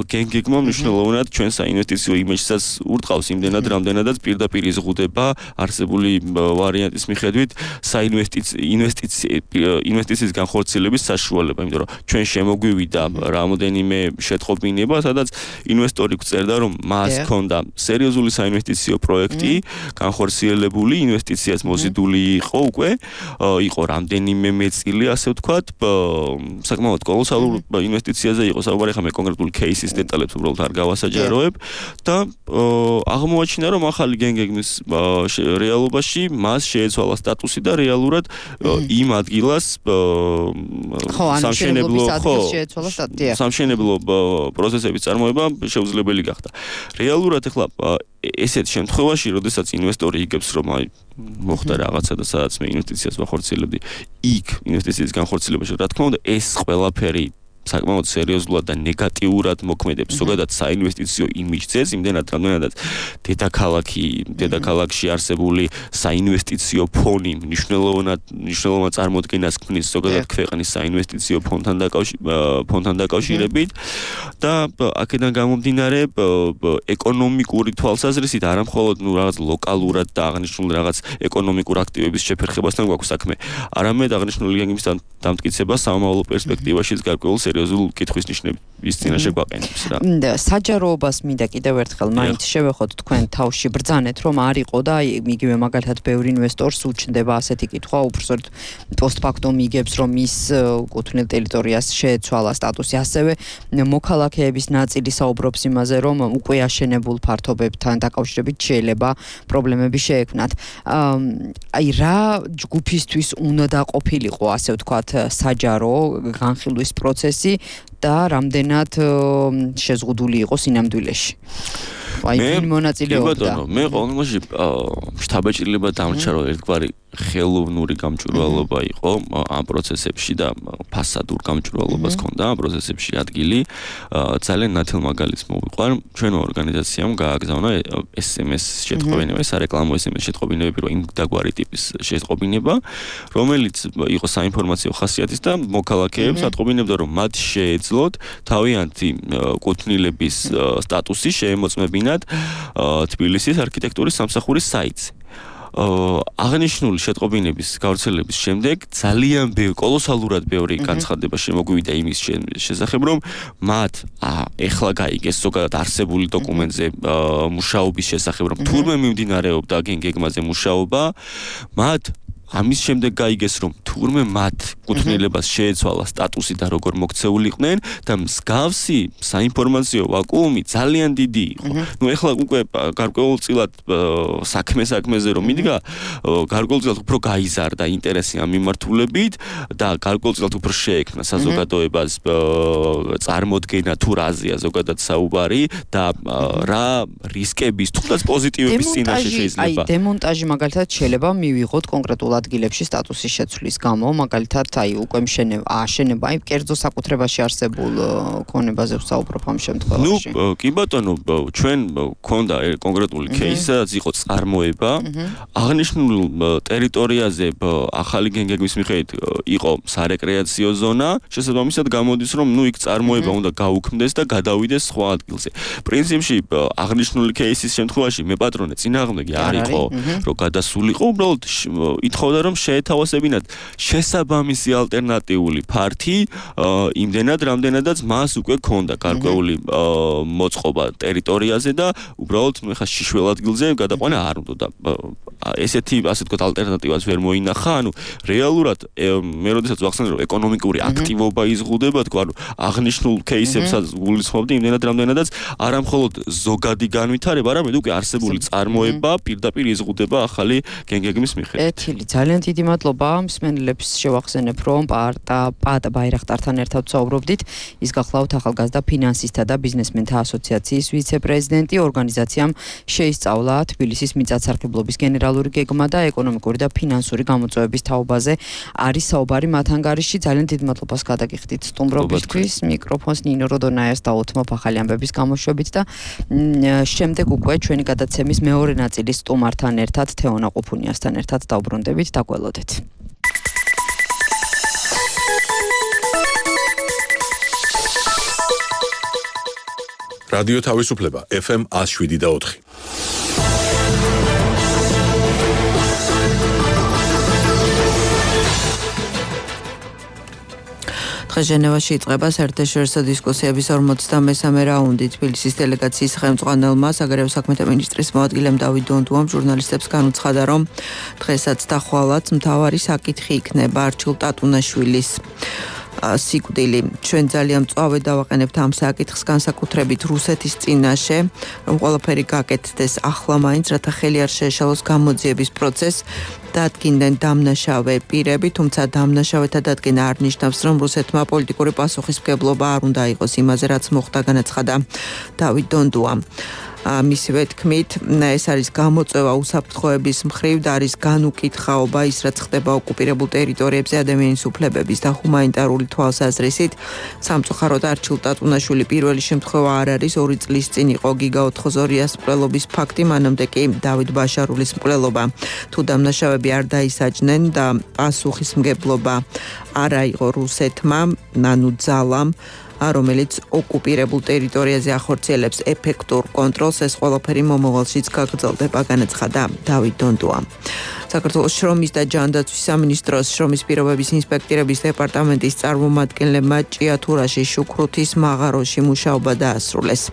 გენგეგმა მნიშვნელოვნად ჩვენ საინვესტიციო იმიჯსაც ურტყავს იმდენად, რამდენადაც პირდაპირ იზღუდება არსებული ვარიანტის მიხედვით საინვესტიციის განხორციელების საშუალება, იმიტომ რომ ჩვენ შემოგვივიდა რამოდენიმე შეტყობინება, სადაც ინვესტორი გწერდა, რომ მას ჰქონდა სერიოზული საინვესტიციო პროექტი განხორციელებული, ინვესტიციას მოზიდული იყო უკვე, იყო რამდენიმე მეწილი, ასე ვთქვათ, საკმაოდ კოლოსალურ ინვესტიციაზე იყო საუბარი, ხა მე კონკრეტული кейსის დეტალებს უბრალოდ არ გავასაჯაროებ და აღმოაჩინა, რომ ახალი გენგეგმის რეალობაში მას შეეცვალა სტატუსი და რეალურად იმ ადგილას სამშენებლო სამშენებლო პროცესების წარმოება შეუძლებელი გახდა. რეალურად ახლა ესეთ შემთხვევაში, როდესაც ინვესტორი იგებს, რომ აი მოხდა რაღაცა და სადაც მე ინვესტიციას ვახორციელებდი, იქ ინვესტიციის განხორციელებაში, რა თქმა უნდა, ეს ყველაფერი საკმაოდ სერიოზულად და ნეგატიურად მოქმედებს ზოგადად საინვესტიციო იმიჯზეც, იმდენად რამდენადაც დედაქალაქი, დედაქალაქში არსებული საინვესტიციო ფონი მნიშვნელოვნად მნიშვნელოვან წარმოდგენას ქმნის ზოგადად ქვეყნის საინვესტიციო ფონდთან ფონდთან დაკავშირებით და აქედან გამომდინარე ეკონომიკური თვალსაზრისით არა მხოლოდ ნუ რაღაც ლოკალურად და აღნიშნულ რაღაც ეკონომიკურ აქტივების შეფერხებასთან გვაქვს საქმე, არამედ აღნიშნული გენგეგმის დამტკიცება სამომავლო პერსპექტივაშიც გარკვეულ სერიოზულ კითხვის ნიშნების წინაშე გვაყენებს რა. საჯაროობას მინდა კიდევ ერთხელ მაინც შევეხოთ თქვენ თავში ბრძანეთ, რომ არ იყო და აი იგივე მაგალითად ბევრი ინვესტორს უჩნდება ასეთი კითხვა, უბრალოდ პოსტფაქტუმ იგებს, რომ ის კუთვნილ ტერიტორიას შეეცვალა სტატუსი, ასევე მოქალაქეების ნაწილი საუბრობს იმაზე, რომ უკვე აშენებულ ფართობებთან დაკავშირებით შეიძლება პრობლემები შეექმნათ. აი რა ჯგუფისთვის უნდა ყოფილიყო, ასე ვთქვათ, საჯარო განხილვის პროცესი და რამდენად შეზღუდული იყო სინამდვილეში. აი ვინ მონაწილეობდა? მე ყოველმოში შთაბეჭდილება დამრჩა, რომ ერთგვარი ხელოვნური გამჭვირვალობა იყო ამ პროცესებში და ფასადურ გამჭვირვალობას ჰქონდა ამ პროცესებში ადგილი. ძალიან ნათელ მაგალითს მოვიყვარ. ჩვენო ორგანიზაციამ გააგზავნა ეს ემ ეს შეტყობინება, სარეკლამო ეს ემ ეს შეტყობინებები, რომ იმ დაგვარი ტიპის შეტყობინება, რომელიც იყო საინფორმაციო ხასიათის და მოქალაქეებს ატყობინებდა, რომ მათ შეეძლოთ თავიანთი კუთვნილების სტატუსი შეემოწმებინათ თბილისის არქიტექტურის სამსახურის საიტზე. აღნიშნული შეტყობინების გავრცელების შემდეგ ძალიან ბევრი, კოლოსალურად ბევრი განცხადება შემოგვივიდა იმის შესახებ, რომ მათ ეხლა გაიგეს ზოგადად არსებული დოკუმენტზე მუშაობის შესახებ, რომ თურმე მიმდინარეობდა გენგეგმაზე მუშაობა, მათ ამის შემდეგ გაიგეს რომ თურმე მათ კუთვნილებას შეეცვალა სტატუსი და როგორ მოქცეულიყვნენ და მსგავსი საინფორმაციო ვაკუუმი ძალიან დიდი იყო. ნუ ეხლა უკვე გარკვეულწილად საქმე საქმეზე რომ მიდგა, გარკვეულწილად უფრო გაიზარდა ინტერესი ამ მიმართულებით და გარკვეულწილად უფრო შეექმნა საზოგადოებას წარმოდგენა თუ რაზეა ზოგადად საუბარი და რა რისკების თუნდაც პოზიტივების წინაშე შეიძლება. აი დემონტაჟი მაგალითად შეიძლება მივიღოთ კონკრეტულ ადგილებში სტატუსის შეცვლის გამო, მაგალითად აი უკვე მშენება, აშენება, აი კერძო საკუთრებაში არსებულ ქონებაზე ვსაუბრობ ამ შემთხვევაში. ნუ კი ბატონო, ჩვენ გქონდა კონკრეტული кейსი, სადაც იყო წარმოება, აღნიშნულ ტერიტორიაზე ახალი გენგების მიხედვით იყო სარეკრეაციო ზონა, შესაბამისად გამოდის რომ ნუ იქ წარმოება უნდა გაუქმდეს და გადავიდეს სხვა ადგილზე. პრინციპში აღნიშნული кейსის შემთხვევაში მე პატრონე წინააღმდეგი არ იყო, რომ გადასულიყო, უბრალოდ ითხოვდა რომ შეეთავაზებინათ შესაბამისი ალტერნატიული ფართი იმდენად რამდენადაც მას უკვე ქონდა გარკვეული მოწყობა ტერიტორიაზე და უბრალოდ ხა შიშველ ადგილზე გადაყვანა არ უნდა და ესეთი ასე ვთქვათ ალტერნატივას ვერ მოინახა, ანუ რეალურად მე როდესაც ვახსენე რომ ეკონომიკური აქტივობა იზღუდება, თქვა რომ აღნიშნულ кейსებსაც გულისხმობდი იმდენად რამდენადაც არა მხოლოდ ზოგადი განვითარება, არამედ უკვე არსებული წარმოება პირდაპირ იზღუდება ახალი გენგეგმის მიხედვით. ეთილი, ძალიან დიდი მადლობა. მსმენელებს შევახსენებ, რომ პარტა პატა ბაირახტართან ერთად ვსაუბრობდით. ის გახლავთ ახალგაზრდა ფინანსისტთა და ბიზნესმენთა ასოციაციის ვიცე-პრეზიდენტი. ორგანიზაციამ შეისწავლა თბილისის მიწათსარგებლობის გენერალური გეგმა და ეკონომიკური და ფინანსური გამოწვევების თაობაზე არის საუბარი მათ ანგარიში. ძალიან დიდ მადლობას გადაგიხდით სტუმრობისთვის. მიკროფონს ნინო როდონაიას დავუთმობ ახალი ამბების გამოშვებით და შემდეგ უკვე ჩვენი გადაცემის მეორე ნაწილის სტუმართან ერთად თეონა ყუფუნიასთან ერთად დავბრუნდებით, დაგველოდეთ. რადიო თავისუფლება ეფ ემ one oh seven და four. ჟენევაში იწყება საერთაშორისო დისკუსიების ორმოცდამესამე რაუნდი. თბილისის დელეგაციის ხელმძღვანელმა საგარეო საქმეთა მინისტრის მოადგილემ დავით დონდუამ ჟურნალისტებს განუცხადა, რომ დღესაც და ხვალაც მთავარი საკითხი იქნება არჩილ ტატუნაშვილის სიკვდილი. ჩვენ ძალიან მწვავედ დავაყენებთ ამ საკითხს განსაკუთრებით რუსეთის წინაშე, რომ ყველაფერი გაკეთდეს ახლა მაინც, რათა ხელი არ შეეშალოს გამოძიების პროცესს. დადგინდნენ დამნაშავე პირები, თუმცა დამნაშავეთა დადგენა არ ნიშნავს, რომ რუსეთმა პოლიტიკური პასუხისმგებლობა არ უნდა იყოს იმაზე, რაც მოხდა, განაცხადა დავით დონდუამ. მისივე თქმით, ეს არის გამოწვევა უსაფრთხოების მხრივ და არის განუკითხაობა ის, რაც ხდება ოკუპირებულ ტერიტორიებზე ადამიანის უფლებების და ჰუმანიტარული თვალსაზრისით. სამწუხაროდ არჩილ ტატუნაშვილი პირველი შემთხვევა არ არის. ორი წლის წინ იყო გიგა ოთხოზორიას მკვლელობის ფაქტი, მანამდე კი დავით ბაშარულის მკვლელობა. თუ დამნაშავეები არ დაისაჯნენ და პასუხისმგებლობა არ აიღო რუსეთმა, ანუ ძალამ, რომელიც ოკუპირებულ ტერიტორიაზე ახორციელებს ეფექტურ კონტროლს, ეს ყველაფერი მომავალშიც გაგრძელდება, განაცხადა დავით დონდუამ. საქართველოს შრომის და ჯანდაცვის სამინისტროს შრომის პირობების ინსპექტირების დეპარტამენტის წარმომადგენლებმა ჭიათურაში, შუქრუთის მაღაროში მუშაობა დაასრულეს.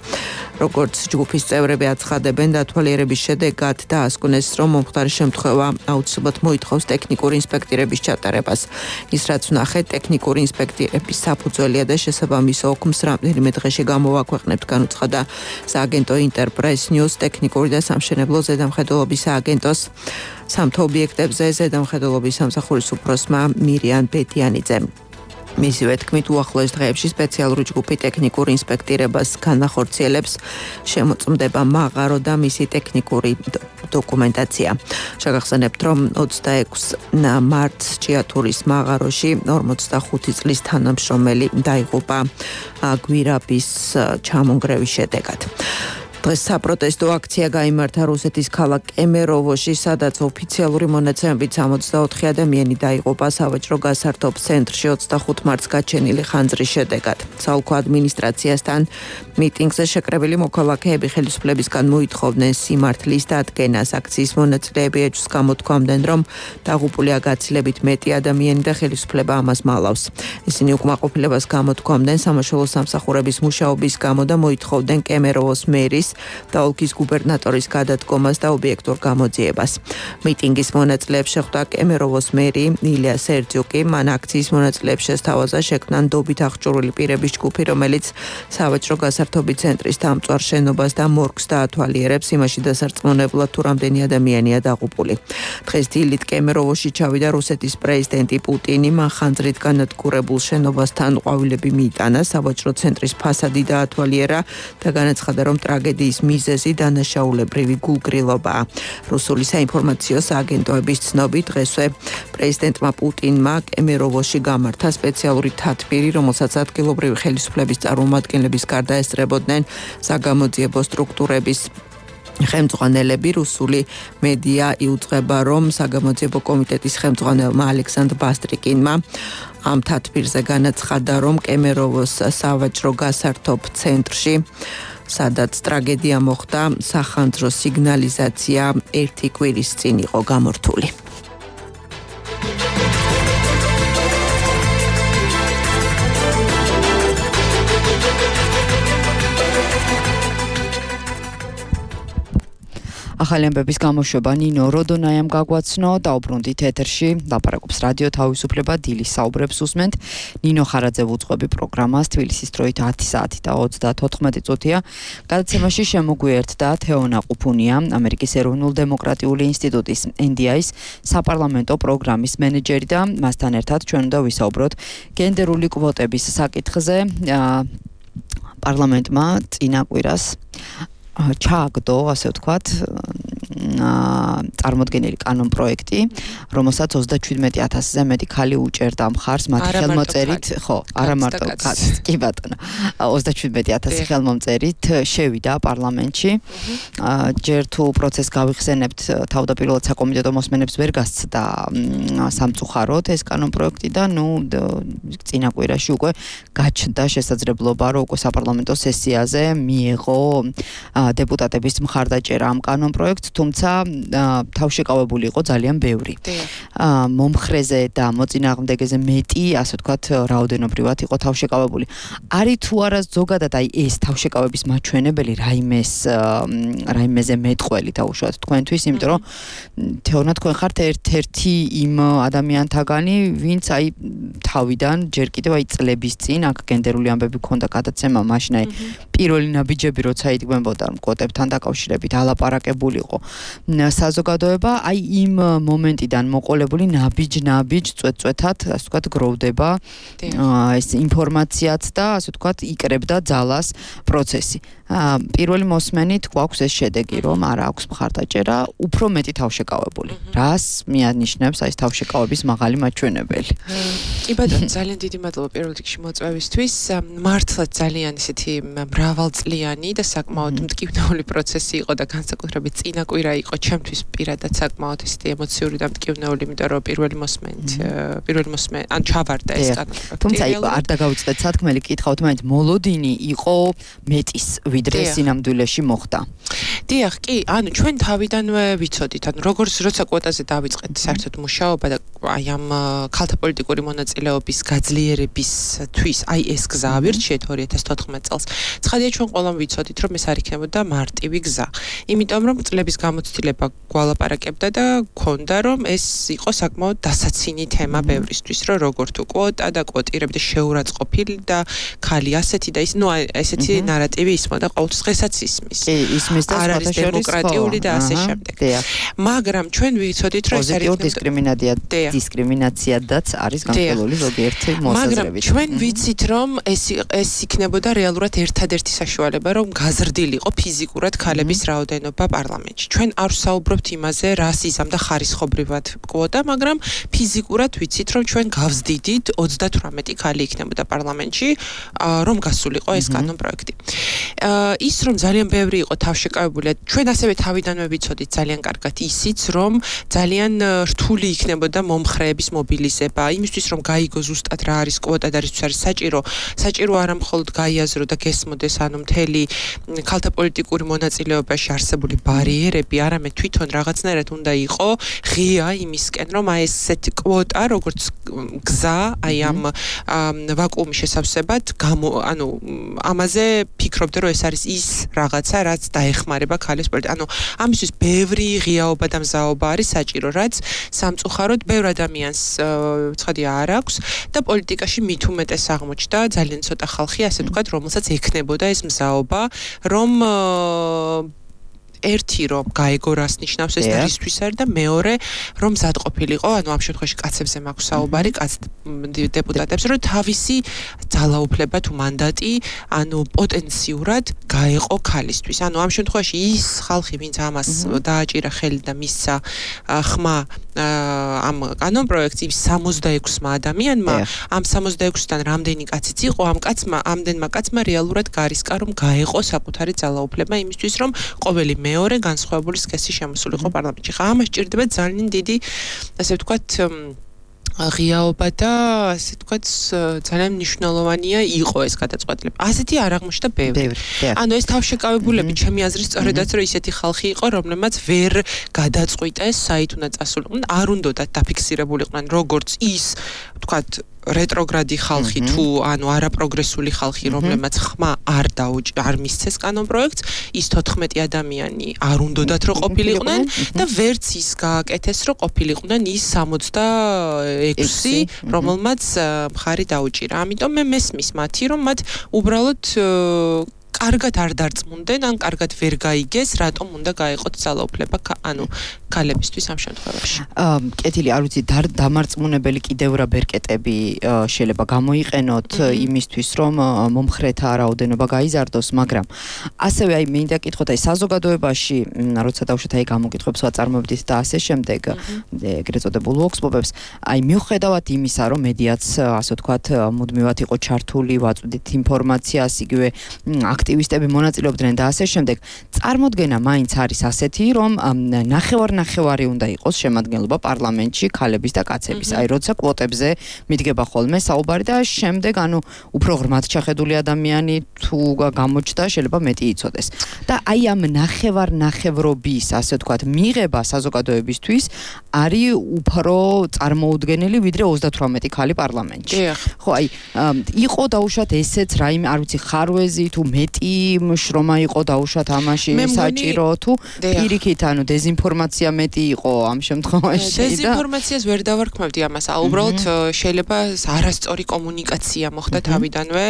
როგორც ჯგუფის წევრები აცხადებენ, დათვალიერების შედეგად დაასკვნეს, რომ მომხდარი შემთხვევა აუცილებლად მოითხოვს ტექნიკური ინსპექტირების ჩატარებას. ის რაც ვნახეთ, ტექნიკური ინსპექტირების საფუძველია და შესაბამის ოქმს რამდენიმე დღეში გამოვაქვეყნებთ, განუცხადა სააგენტო ინტერპრეს ნიუს ტექნიკური და სამშენებლო ზედამხედველობის სააგენტოს სამთო ობიექტებზე ზედამხედველობის სამსახურის უფროსმა მირიან ბედიანიძემ. მისივე თქმით, უახლოეს დღეებში სპეციალური ჯგუფი ტექნიკურ ინსპექტირებას განახორციელებს, შემოწმდება მაღარო და მისი ტექნიკური დოკუმენტაცია. შეგახსენებთ, რომ ოცდაექვსი მარტს ჭიათურის მაღაროში ორმოცდახუთი წლის თანამშრომელი დაიღუპა გვირაბის ჩამონგრევის შედეგად. დღეს საპროტესტო აქცია გაიმართა რუსეთის ქალაქ კემეროვოში, სადაც ოფიციალური მონაცემებით სამოცდაოთხი ადამიანი დაიღუპა სავაჭრო გასართობ ცენტრში ოცდახუთი მარტს გაჩენილი ხანძრის შედეგად. საოლქო ადმინისტრაციასთან მიტინგზე შეკრებილი მოქალაქეები ხელისუფლებისგან მოითხოვდნენ სიმართლის დადგენას. აქციის მონაწილეები ეჭვს გამოთქვამდნენ, რომ დაღუპულია გაცილებით მეტი ადამიანი და ხელისუფლება ამას მალავს. ისინი უკმაყოფილებას გამოთქვამდნენ სამაშველო სამსახურების მუშაობის გამო და მოითხოვდნენ კემეროვოს მერის და ოლქის გუბერნატორის გადადგომას და ობიექტურ გამოძიებას. მიტინგის მონაწილეებს შეხვდა კემეროვოს მერი ილია სერძიუკი. მან აქციის მონაწილეებს შესთავაზა შექმნა ნდობით აღჭურვილი პირების ჯგუფი, რომელიც სავაჭრო გასართობი ცენტრის დამწვარ შენობას და მორგს დაათვალიერებს, იმაში დასარწმუნებლად თუ რამდენი ადამიანია დაღუპული. დღეს დილით კემეროვოში ჩავიდა რუსეთის პრეზიდენტი პუტინი. მან ხანძრით განადგურებულ შენობასთან ყვავილები მიიტანა, სავაჭრო ცენტრის ფასადი დაათვალიერა და განაცხადა, რომ ტრაგედიის მიზეზი დანაშაულებრივი გულგრილობაა. რუსული საინფორმაციო სააგენტოების ცნობით, დღესვე პრეზიდენტმა პუტინმა კემეროვოში გამართა სპეციალური თათბირი, რომელსაც ადგილობრივი ხელისუფლების წარმომადგენლების გარდა ესწრებოდნენ საგამოძიებო სტრუქტურების ხელმძღვანელები. რუსული მედია იუწყება, რომ საგამოძიებო კომიტეტის ხელმძღვანელმა ალექსანდრ ბასტრიკინმა ამ თათბირზე განაცხადა, რომ კემეროვოს სავაჭრო გასართობ ცენტრში, სადაც ტრაგედია მოხდა, სახანძრო სიგნალიზაცია ერთი კვირის წინ იყო გამორთული. ახალი ამბების გამოშვება ნინო როდონაიამ გაგვაცნო, დაუბრუნდით ეთერში, ლაპარაკობს რადიო თავისუფლება, დილის საუბრებს უსმენთ. ნინო ხარაძე უძღვები პროგრამას, თბილისის დროით ათი საათი და ოცდათოთხმეტი წუთია. გადაცემაში შემოგვიერთდა თეონა ყუფუნია, ამერიკის ეროვნულ-დემოკრატიული ინსტიტუტის ენ დი აის საპარლამენტო პროგრამის მენეჯერი და მასთან ერთად ჩვენ უნდა ვისაუბროთ გენდერული კვოტების საკითხზე. პარლამენტმა წინა კვირას ჩააგდო, ასე ვთქვათ, წარმოდგენილი კანონ პროექტი, რომელსაც ოცდაჩვიდმეტი ათასზე მეტი ხალი უჭერდა მხარს მათი ხელმოწერით, ხო, არა მარტო კაცს, კი ბატონო. ოცდაჩვიდმეტი ათასი ხელმომწერით შევიდა პარლამენტში. ჯერ თუ პროცესს გავიხსენებთ, თავდაპირველად საკომიტეტო მოსმენებს ვერ გასცდა სამწუხაროდ ეს კანონ პროექტი და ნუ წინა კვირაში უკვე გაჩნდა შესაძლებლობა, რომ უკვე საპარლამენტო სესიაზე მიეღო დეპუტატების მხარდაჭერა ამ კანონ პროექტს, თუმცა თავშეკავებული იყო ძალიან ბევრი. მომხრეზე და მოწინააღმდეგეზე მეტი, ასე ვთქვათ, რაოდენობრივად იყო თავშეკავებული. არის თუ არა ზოგადად აი ეს თავშეკავების მაჩვენებელი რაიმეს რაიმეზე მეტყველი დაუშვათ თქვენთვის, იმიტომ რომ თეონა თქვენ ხართ ერთ-ერთი იმ ადამიანთაგანი, ვინც აი თავიდან ჯერ კიდევ აი წლების წინ აქ გენდერული ამბები ქონდა გადაცემა, მაშინ აი პირველი ნაბიჯები როცა იდგმებოდა კვოტებთან დაკავშირებით ალაპარაკებულიყო საზოგადოება, აი იმ მომენტიდან მოყოლებული ნაბიჯ-ნაბიჯ წვეთ-წვეთად, ასე ვთქვათ, გროვდება ეს ინფორმაციაც და ასე ვთქვათ, იკრებდა ძალას პროცესი. პირველი მოსმენით გვაქვს ეს შედეგი, რომ არ აქვს მხარდაჭერა, უფრო მეტი თავშეკავებული. რას მიანიშნებს აი ეს თავშეკავების მაღალი მაჩვენებელი? კი ბატონო, ძალიან დიდი მადლობა პირველ რიგში მოწვევისთვის. მართლაც ძალიან ისეთი მრავალწლიანი და საკმაოდ მტკივნეული პროცესი იყო და განსაკუთრებით წინა კვირა იყო ჩემთვის პირადად საკმაოდ ისეთი ემოციური და მტკივნეული, იმიტომ რომ პირველი მოსმენით, პირველი მოსმენით, ან ჩავარდა ეს კანონი. თუმცა არ დაგავიწყდეთ სათქმელი, კითხავთ, მაინც მოლოდინი იყო მეტის ვიდრე სინამდვილეში მოხდა. დიახ, კი, ანუ ჩვენ თავიდანვე ვიცოდით, ანუ როგორც როცა კვოტაზე დავიწყეთ საერთოდ მუშაობა და აი ამ ქალთა პოლიტიკური მონაწილეობის გაძლიერებისთვის აი ეს გზა ავირჩიეთ ორი ათას თოთხმეტ წელს. ცხადია ჩვენ ყველამ ვიცოდით, რომ ეს არ იქნებოდა მარტივი გზა. იმიტომ რომ წლების გამოცდილება გვალაპარაკებდა და გქონდა, რომ ეს იყო საკმაოდ დასაცინი თემა ბევრისთვის, რომ როგორ თუ კვოტა და კვოტირები და შეურაცხყოფილი და ქალი ასეთი და ის, ნუ ესეთი ნარატივი ისმოდა ყოველთვის დღესაც ისმის. კი, ისმის და არ არის დემოკრატიული და ასე შემდეგ. მაგრამ ჩვენ ვიცოდით, რომ ეს არის დისკრიმინაცია, დისკრიმინაციადაც არის განხილული ზოგიერთი მოსაზრებით. მაგრამ ჩვენ ვიცით, რომ ეს ეს იქნებოდა რეალურად ერთადერთი საშუალება, რომ გაზრდილიყო ფიზიკურად ქალების რაოდენობა პარლამენტში. ჩვენ არ ვსაუბრობთ იმაზე, რას იზამდა ხარისხობრივად კვოტა, მაგრამ ფიზიკურად ვიცით, რომ ჩვენ გავზდიდით ოცდათვრამეტი ქალი იქნებოდა პარლამენტში, რომ გასულიყო ეს კანონ პროექტი. ის რომ ძალიან ბევრი იყო თავშეკავებული, ჩვენ ასევე თავიდანვე ვიცოდით ძალიან კარგად ისიც, რომ ძალიან რთული იქნებოდა მომხრეების მობილიზება, იმისთვის რომ გაიგო ზუსტად რა არის კვოტა და რისთვის არის საჭირო, საჭირო არა მხოლოდ გაიაზრო და გესმოდეს ანუ მთელი ქალთა პოლიტიკური მონაწილეობაში არსებული ბარიერები, არამედ თვითონ რაღაცნაირად უნდა იყო ღია იმისკენ, რომ აი ესეთი კვოტა, როგორც გზა, აი ამ ვაკუუმის შესავსებად, ანუ ამაზე ფიქრ ვფიქრობდი რომ ეს არის ის რაღაცა რაც დაეხმარება ქალის სპორტი. ანუ ამისთვის ბევრი ღიაობა და მზაობა არის საჭირო, რაც სამწუხაროდ ბევრ ადამიანს ცხადია არ აქვს და პოლიტიკაში მით უმეტეს აღმოჩნდა ძალიან ცოტა ხალხი, ასე ვთქვათ, რომელსაც ექნებოდა ეს მზაობა, რომ ერთი რომ გაეგო რას ნიშნავს ეს და რისთვის არის და მეორე რომ მზად ყოფილიყო, ანუ ამ შემთხვევაში კაცებზე მაქვს საუბარი, კაც დეპუტატებს, რომ თავისი ძალაუფლება თუ მანდატი, ანუ პოტენციურად გაეყო ქალისთვის. ანუ ამ შემთხვევაში ის ხალხი, ვინც ამას დააჭირა ხელი და მისცა ხმა ამ კანონ პროექტს იმ სამოცდაექვსმა ადამიანმა, ამ სამოცდაექვსიდან რამდენი კაციც იყო, ამ კაცმა, ამდენმა კაცმა რეალურად გარისკა რომ გაეყო საკუთარი ძალაუფლება იმისთვის, რომ ყოველი მეორე განსხვავებული სქესი შემოსულიყო პარლამენტში. ხა ამას ჭირდება ძალიან დიდი, ასე ვთქვათ, ღიაობა და ასე ვთქვათ, ძალიან მნიშვნელოვანია იყო ეს გადაწყვეტილება. ასეთი არ აღმოჩნდა ბევრი. ანუ ეს თავშეკავებულები, ჩემი აზრით, სწორედაც რომ ისეთი ხალხი იყო, რომლებმაც ვერ გადაწყვიტეს საით უნდა წასულიყვნენ, არ უნდათ დაფიქსირებულიყვნენ როგორც ის, ვთქვათ, რეტროგრადი ხალხი თუ ანუ არაპროგრესული ხალხი, რომლებმაც ხმა არ დაუჭ არ მისცეს კანონ პროექტს, ის თოთხმეტი ადამიანი არ უნდათ რომ ყოფილიყვნენ და ვერც ის გააკეთეს რომ ყოფილიყვნენ ის სამოცდაექვსი, რომელმაც მხარი დაუჭირა. ამიტომ მე მესმის მათი რომ მათ უბრალოდ კარგად არ დარწმუნდნენ, ან კარგად ვერ გაიგეს, რატომ უნდა გაეყოთ ძალაუფლება, ანუ ქალებისთვის ამ შემთხვევაში. კეთილი, არ ვიცი, დამარწმუნებელი კიდევ რა ბერკეტები შეიძლება გამოიყენოთ იმისთვის, რომ მომხრეთა რაოდენობა გაიზარდოს, მაგრამ ასევე აი მინდა კითხოთ, აი საზოგადოებაში, როცა დავუშვათ აი გამოკითხვებს ვაწარმოებდით და ასე შემდეგ, ეგრეთ წოდებულ ვოქსპოპებს, აი მიუხედავად იმისა, რომ მედიაც, ასე ვთქვათ, მუდმივად იყო ჩართული, ვაწვდით ინფორმაციას, იგივე აქტივისტები მონაწილეობდნენ და ასე შემდეგ, წარმოდგენა მაინც არის ასეთი, რომ ნახევარ-ნახევარი უნდა იყოს შემადგენლობა პარლამენტში ქალების და კაცების. აი, როცა კვოტებზე მიდგება ხოლმე საუბარი და შემდეგ, ანუ უფრო ღრმად ჩახედული ადამიანი თუ გამოჩნდა, შეიძლება მეტი იცოდეს. და აი ამ ნახევარ-ნახევრობის, ასე ვთქვათ, მიღება საზოგადოებისთვის არის უფრო წარმოუდგენელი, ვიდრე ოცდათვრამეტი ქალი პარლამენტში. ხო, აი, იყო დაუშვათ ესეც რაიმე, არ ვიცი, ხარვეზი თუ მეტი შრომა იყო დაუშვათ ამაში საჭირო თუ პირიქით, ანუ დეზინფორმაცია მეტი იყო ამ შემთხვევაში და დეზინფორმაციას ვერ დავარქმევდი ამას. უბრალოდ შეიძლება არასწორი კომუნიკაცია მოხდა თავიდანვე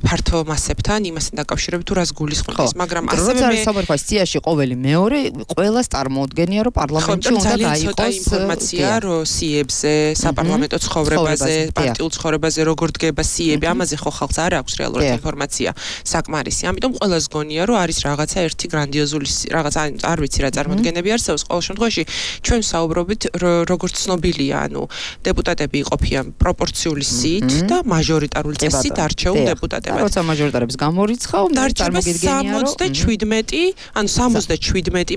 ფართო მასებთან, იმასთან დაკავშირებით თუ რას გულისხმობს, მაგრამ ასევე მე საბერხოს სიაში ყოველი მეორე ყველას წარმოუდგენია, რომ პარლამენტში უნდა გაიყოს ინფორმაცია რო სიებზე, საპარლამენტო ცხოვრებაზე, პარტიულ ცხოვრებაზე როგორ დგება სიები, ამაზე ხო ხალხს არ აქვს რეალურად ინფორმაცია საკმარისი. ამიტომ ყველას გონია, რომ არის რაღაცა ერთი გრანდიოზული რაღაცა, არ ვიცი რა წარმოდგენები არსებობს. ყოველ შემთხვევაში ჩვენ საუბრობთ როგორც ცნობილია, ანუ დეპუტატები იყოფიან პროპორციული სიით და მაჟორიტარული წესით არჩეულ დეპუტატებად. როცა მაჟორიტარებს გამორიცხავ, წარმოგიდგენია რომ სამოცდაშვიდმეტი, ანუ სამოცდაშვიდმეტი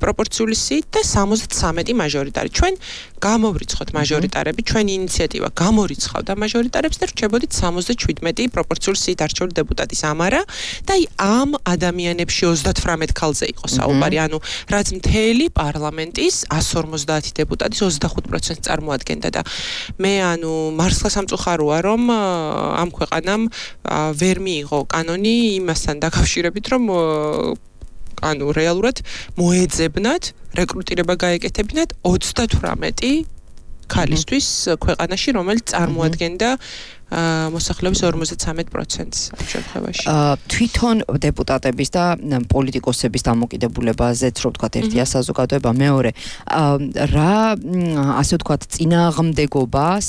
პროპორციული სიით და სამოცდათვრამეტი მაჟორიტარი. ჩვენ გამოვრიცხოთ მაჟორიტარები, ჩვენი ინიციატივა გამორიცხავდა მაჟორიტარებს და რჩებოდით სამოცდაშვიდმეტი პროპორციული სიით არჩეული დეპუტატის ამარა და აი ამ ადამიანებში ოცდათვრამეტ ქალზე იყო საუბარი, ანუ რაც მთელი პარლამენტის εκατს ორმოცდაათი დეპუტატის ოცდახუთ პროცენტს წარმოადგენდა და მე ანუ მართლა სამწუხაროა რომ ამ ქვეყანამ ვერ მიიღო კანონი იმასთან დაკავშირებით, რომ ანუ რეალურად მოეძებნათ რეკრუტირება გაეკეთებინათ ოცდათვრამეტი ქალისთვის ქვეყანაში, რომელიც წარმოადგენდა მოსახლეობის ორმოცდათვრამეტ პროცენტს ამ შემთხვევაში. თვითონ დეპუტატების და პოლიტიკოსების დამოკიდებულებაზეც რო ვთქვათ, ერთია საზოგადოება, მეორე რა ასე ვთქვათ, წინააღმდეგობას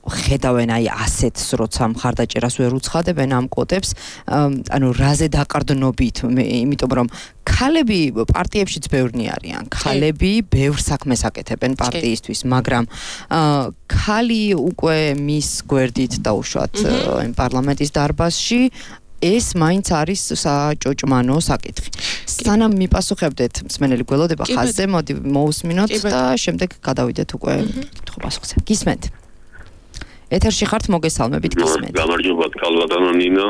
ხედავენ აი ასეთს, როცა მხარდაჭერას ვერ უცხადებენ ამ კვოტებს, ანუ რაზე დაყრდნობით, იმიტომ რომ ქალები პარტიებშიც ბევრნი არიან, ქალები ბევრ საქმეს აკეთებენ პარტიისთვის, მაგრამ ქალი უკვე მის გვერდით დაუშვათ იმ პარლამენტის დარბაზში ეს მაინც არის საჭოჭმანო საკითხი. სანამ მიპასუხებდეთ, მსმენელი გველოდება ხაზზე, მოდი მოусმინოთ და შემდეგ გადავიდეთ უკვე კითხვა-პასუხზე. გისმენთ? ეთერში ხართ, მოგესალმებით, გისმენთ. გამარჯობა, კალბატონო ნინო.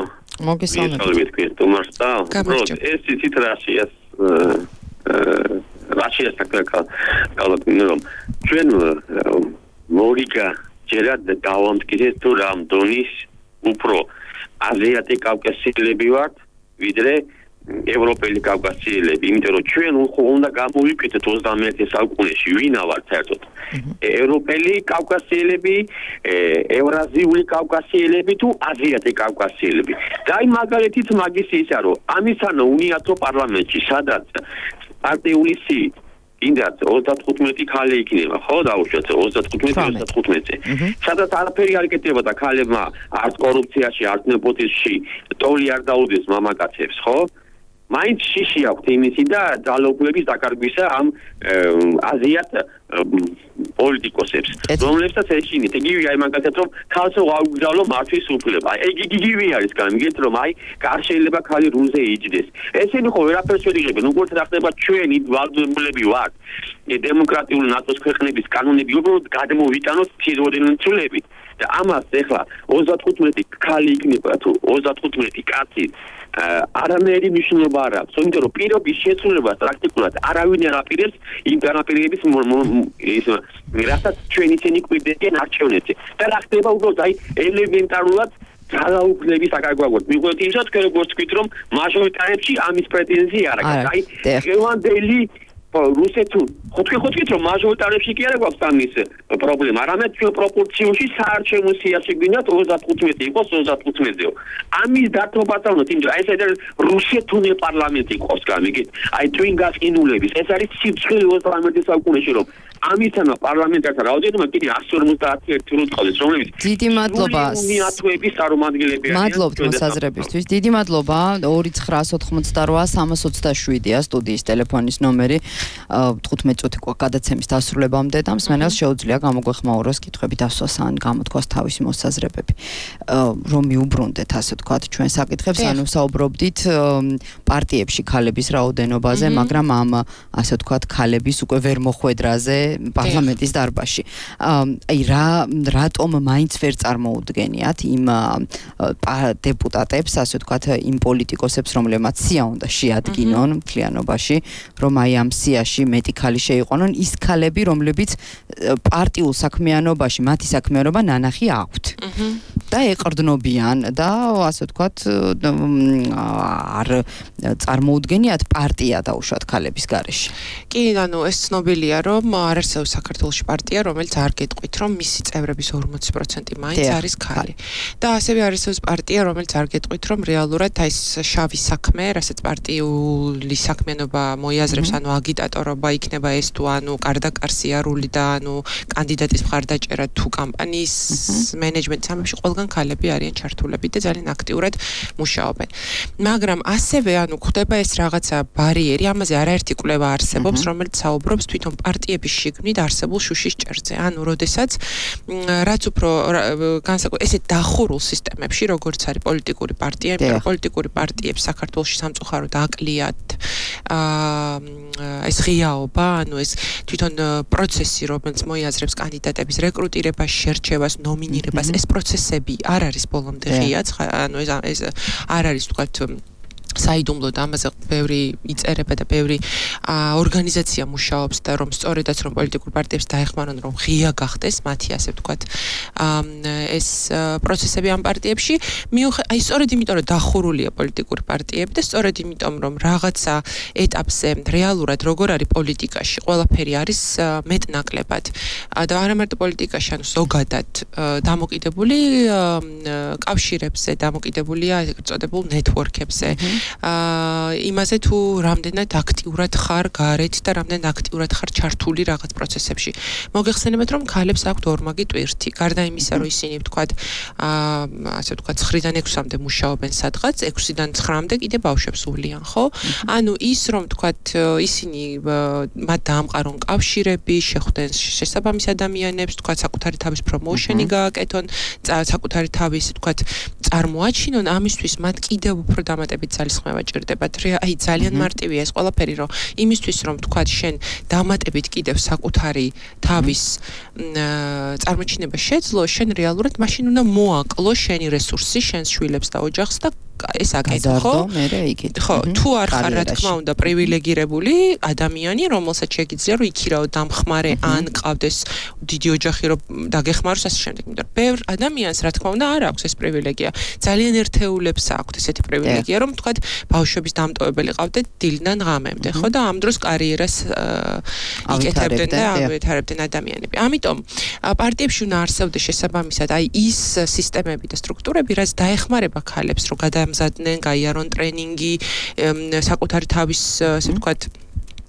მოგესალმებით. თუმარს და ეს ისიც რაშიას რაშიას კალბატონო რომ ჩვენ მორიგა ჯერად დავამტკიცეთ თუ რამ დონის უფრო აზიატი კავკასიელები ვართ, ვიდრე ევროპელი კავკასიელები, იმიტომ რომ ჩვენ უნდა გამოვიკვეთოთ ოცდამეერთე საუკუნეში ვინა ვართ საერთოდ. ევროპელი კავკასიელები, ევრაზიული კავკასიელები თუ აზიატი კავკასიელები. და აი მაგალითით მაგის ისა რომ ამისანო უნიათო პარლამენტში სადაც პარტიული სიით ინდაც ოცდათხუთმეტი ქალი იქნება, ხო, დაუშვათ ოცდათხუთმეტი ოცდათხუთმეტი. სადაც არაფერი არ იკეთება და ქალებმა არც კორუფციაში, არც ნეპოტიზმში ტოლი არ დაუდეს მამაკაცებს, ხო? მაინც შიში აქვთ იმისი და ძალაუფლების დაკარგვისა ამ აზიათ პოლიტიკოსებს, რომლებსაც ეშინით. იგივე აი მაგალითად რომ ქალს აუგზავნო მართვის უფლება. ეგ იგივე არის გამიგეთ რომ აი კარ შეიძლება ქალი რულზე იჯდეს. ესენი ხო ვერაფერს ვერ იღებენ, უბრალოდ რა ხდება ჩვენი ვალდებულები ვართ. დემოკრატიული ნატოს ქვეყნების კანონები უბრალოდ გადმოვიტანოთ თიროდენცულები. და ამას ეხლა ოცდათხუთმეტი ქალი იქნება თუ ოცდათხუთმეტი კაცი არანაირი მნიშვნელობა არ აქვს, იმიტომ რომ პირობის შეცვლილებას პრაქტიკულად არავინ არ აპირებს იმ განაპირობების ის რასაც ჩვენ ისინი გვიდებენ არჩევნებზე. და რა ხდება უბრალოდ აი ელემენტარულად ძალაუფლების აკარგვაგოთ. მიგვეთ იმსაც როგორც თქვით რომ მაჟორიტარებში ამის პრეტენზია არ აქვს. აი გევანდელი რუსეთუ ხოთქე ხოთქით რომ მაჟორიტარებში კი არ გვაქვს ამის პრობლემა, არამედ ჩვენ პროპორციაში საარჩევნო სიაში გვინდათ ოცდათხუთმეტი იყოს ოცდათხუთმეტეო. ამის დათმობაც არ უნდა, იმიტომ რომ ეს არის რუსეთუნე პარლამენტი ყავს გამიგეთ. აი twin გასკინულების ეს არის სიცხელი ოცდამეერთე საუკუნეში რომ ამისთანა პარლამენტართა რაოდენობა კიდე εκατს ორმოცდაათი რო წყალეს, რომლებიც დიდი მადლობა უნიათოების წარმომადგენლები არიან. მადლობთ მოსაზრებისთვის. დიდი მადლობა. ორი ცხრა ოცდაოთხმოცდარბა სამას ოცდაშვიდია სტუდიის ტელეფონის ნომერი. თხუთმეტი წუთი გადაცემის დასრულებამდე და მსმენელს შეუძლია გამოგვეხმაუროს კითხვები დასვას ან გამოთქვას თავისი მოსაზრებები. რომ მიუბრუნდეთ ასე ვთქვათ ჩვენ საკითხებს, ანუ საუბრობდით პარტიებში ქალების რაოდენობაზე, მაგრამ ამ ასე ვთქვათ ქალების უკვე ვერ მოხვედრაზე პარლამენტის დარბაზში. აი რა რატომ მაინც ვერ წარმოუდგენიათ იმ დეპუტატებს, ასე ვთქვათ, იმ პოლიტიკოსებს, რომლებმაც სია უნდა შეადგინონ მთლიანობაში, რომ აი ამ სიაში მეტი ქალი შეიყვანონ, ის ქალები, რომლებიც პარტიულ საქმიანობაში, მათი საქმიანობა ნანახი აქვთ. და ეყრდნობიან და ასე ვთქვათ, არ წარმოუდგენიათ პარტია დაუშვათ ქალების გარეშე. კი, ანუ ეს ცნობილია, რომ არ არსებობს საქართველოში პარტია, რომელიც არ გეტყვით, რომ მისი წევრების ორმოცი პროცენტი მაინც არის ქალი. და ასევე არ არსებობს პარტია, რომელიც არ გეტყვით, რომ რეალურად აი ეს შავი საქმე, რასაც პარტიული საქმიანობა მოიაზრებს, ანუ აგიტატორობა იქნება ეს თუ ანუ კარდაკარსიარული და ანუ კანდიდატის მხარდაჭერა თუ კამპანიის მენეჯმენტის ამებში ყველგან ქალები არიან ჩართულები და ძალიან აქტიურად მუშაობენ. მაგრამ ასევე ანუ ხდება ეს რაღაცა ბარიერი, ამაზე არაერთი კვლევა არსებობს, რომელიც საუბრობს თვითონ პარტიების შიგნით არსებულ შუშის ჭერზე. ანუ როდესაც რაც უფრო განსაკუთრებით ესე დახურულ სისტემებში, როგორც არის პოლიტიკური პარტია, იმიტომ პოლიტიკური პარტიებს საქართველოში სამწუხაროდ აკლიათ აა ეს ღიაობა, ანუ ეს თვითონ პროცესი, რომელიც მოიაზრებს კანდიდატების რეკრუტირებას, შერჩევას, ნომინირებას, ეს პროცესები არ არის ბოლომდე ღია, ანუ ეს ეს არ არის თქვათ საიდუმლოდ ამაზე ბევრი იწერება და ბევრი ორგანიზაცია მუშაობს და რომ სწორედაც რომ პოლიტიკურ პარტიებს დაეხმარონ რომ ღია გახდეს მათი ასე ვთქვათ ეს პროცესები ამ პარტიებში მიუხედავად აი სწორედ იმიტომ რომ დახურულია პოლიტიკური პარტიები და სწორედ იმიტომ რომ რაღაცა ეტაპზე რეალურად როგორ არის პოლიტიკაში ყველაფერი არის მეტნაკლებად და არა მარტო პოლიტიკაში ანუ ზოგადად დამოკიდებული კავშირებზე დამოკიდებულია ეგრეთ წოდებულ ნეტვორკებზე აა იმაზე თუ რამდენად აქტიურად ხარ გარეთ და რამდენად აქტიურად ხარ ჩართული რაღაც პროცესებში. მოგეხსენებათ რომ ქალებს აქვთ ორმაგი ტვირთი. გარდა იმისა რომ ისინი ვთქვათ აა ასე ვთქვათ ცხრიდან ექვსამდე მუშაობენ სადღაც, ექვსიდან ცხრამდე კიდე ბავშვებს უვლიან, ხო? ანუ ის რომ ვთქვათ ისინი მათ დაამყარონ კავშირები, შეხვდნენ შესაბამის ადამიანებს, ვთქვათ საკუთარი თავის პრომოუშენი გააკეთონ, საკუთარი თავის ვთქვათ წარმოაჩინონ, ამისთვის მათ კიდევ უფრო დამატებით ძალისხმევა ჭირდებათ. აი ძალიან მარტივია ეს ყველაფერი, რომ იმისთვის რომ თქვათ შენ დამატებით კიდევ საკუთარი თავის წარმოჩინება შეძლო, შენ რეალურად მაშინ უნდა მოაკლო შენი რესურსი, შენს შვილებს და ოჯახს და ეს აკეთო, ხო? ხო, თუ არ ხარ რა თქმა უნდა პრივილეგირებული ადამიანი, რომელსაც შეგიძლია რომ იქირაო დამხმარე ან ყავდეს დიდი ოჯახი რომ დაგეხმაროს ასე შემდეგ. იმიტომ რომ ბევრ ადამიანს რა თქმა უნდა არ აქვს ეს პრივილეგია. ძალიან ერთეულებს აქვს ესეთი პრივილეგია, რომ თქვა ბავშვების დამტოვებელი ყავდეთ დილიდან ღამემდე, ხო და ამ დროს კარიერას იკეთებდნენ და ავითარებდნენ ადამიანები. ამიტომ პარტიებში უნდა არსებდეს შესაბამისად აი ის სისტემები და სტრუქტურები, რაც დაეხმარება ქალებს, რომ გადამზადდნენ, გაიარონ ტრენინგი, საკუთარი თავის, ასე ვთქვათ,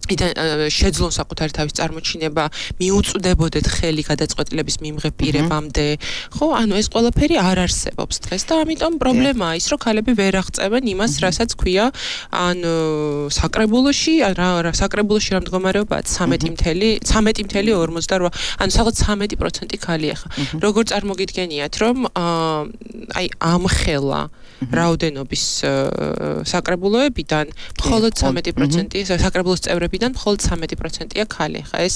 შეძლონ საკუთარი თავის წარმოჩინება, მიუწვდებოდეთ ხელი გადაწყვეტილების მიმღებ პირებამდე, ხო? ანუ ეს ყველაფერი არ არსებობს დღეს და ამიტომ პრობლემაა ის, რომ ქალები ვერ აღწევენ იმას, რასაც ქვია, ან საკრებულოში, რა საკრებულოში რა მდგომარეობაა ცამეტი წამყვანი ორმოცდაოთხ, ანუ სადღაც ცამეტი პროცენტი ქალია ხა. როგორ წარმოგიდგენიათ, რომ აი ამ ხელა რაოდენობის საკრებულოებიდან მხოლოდ ცამეტი პროცენტი საკრებულოს წევრები ვიდან მხოლოდ ცამეტი პროცენტია ქალი. ხა ეს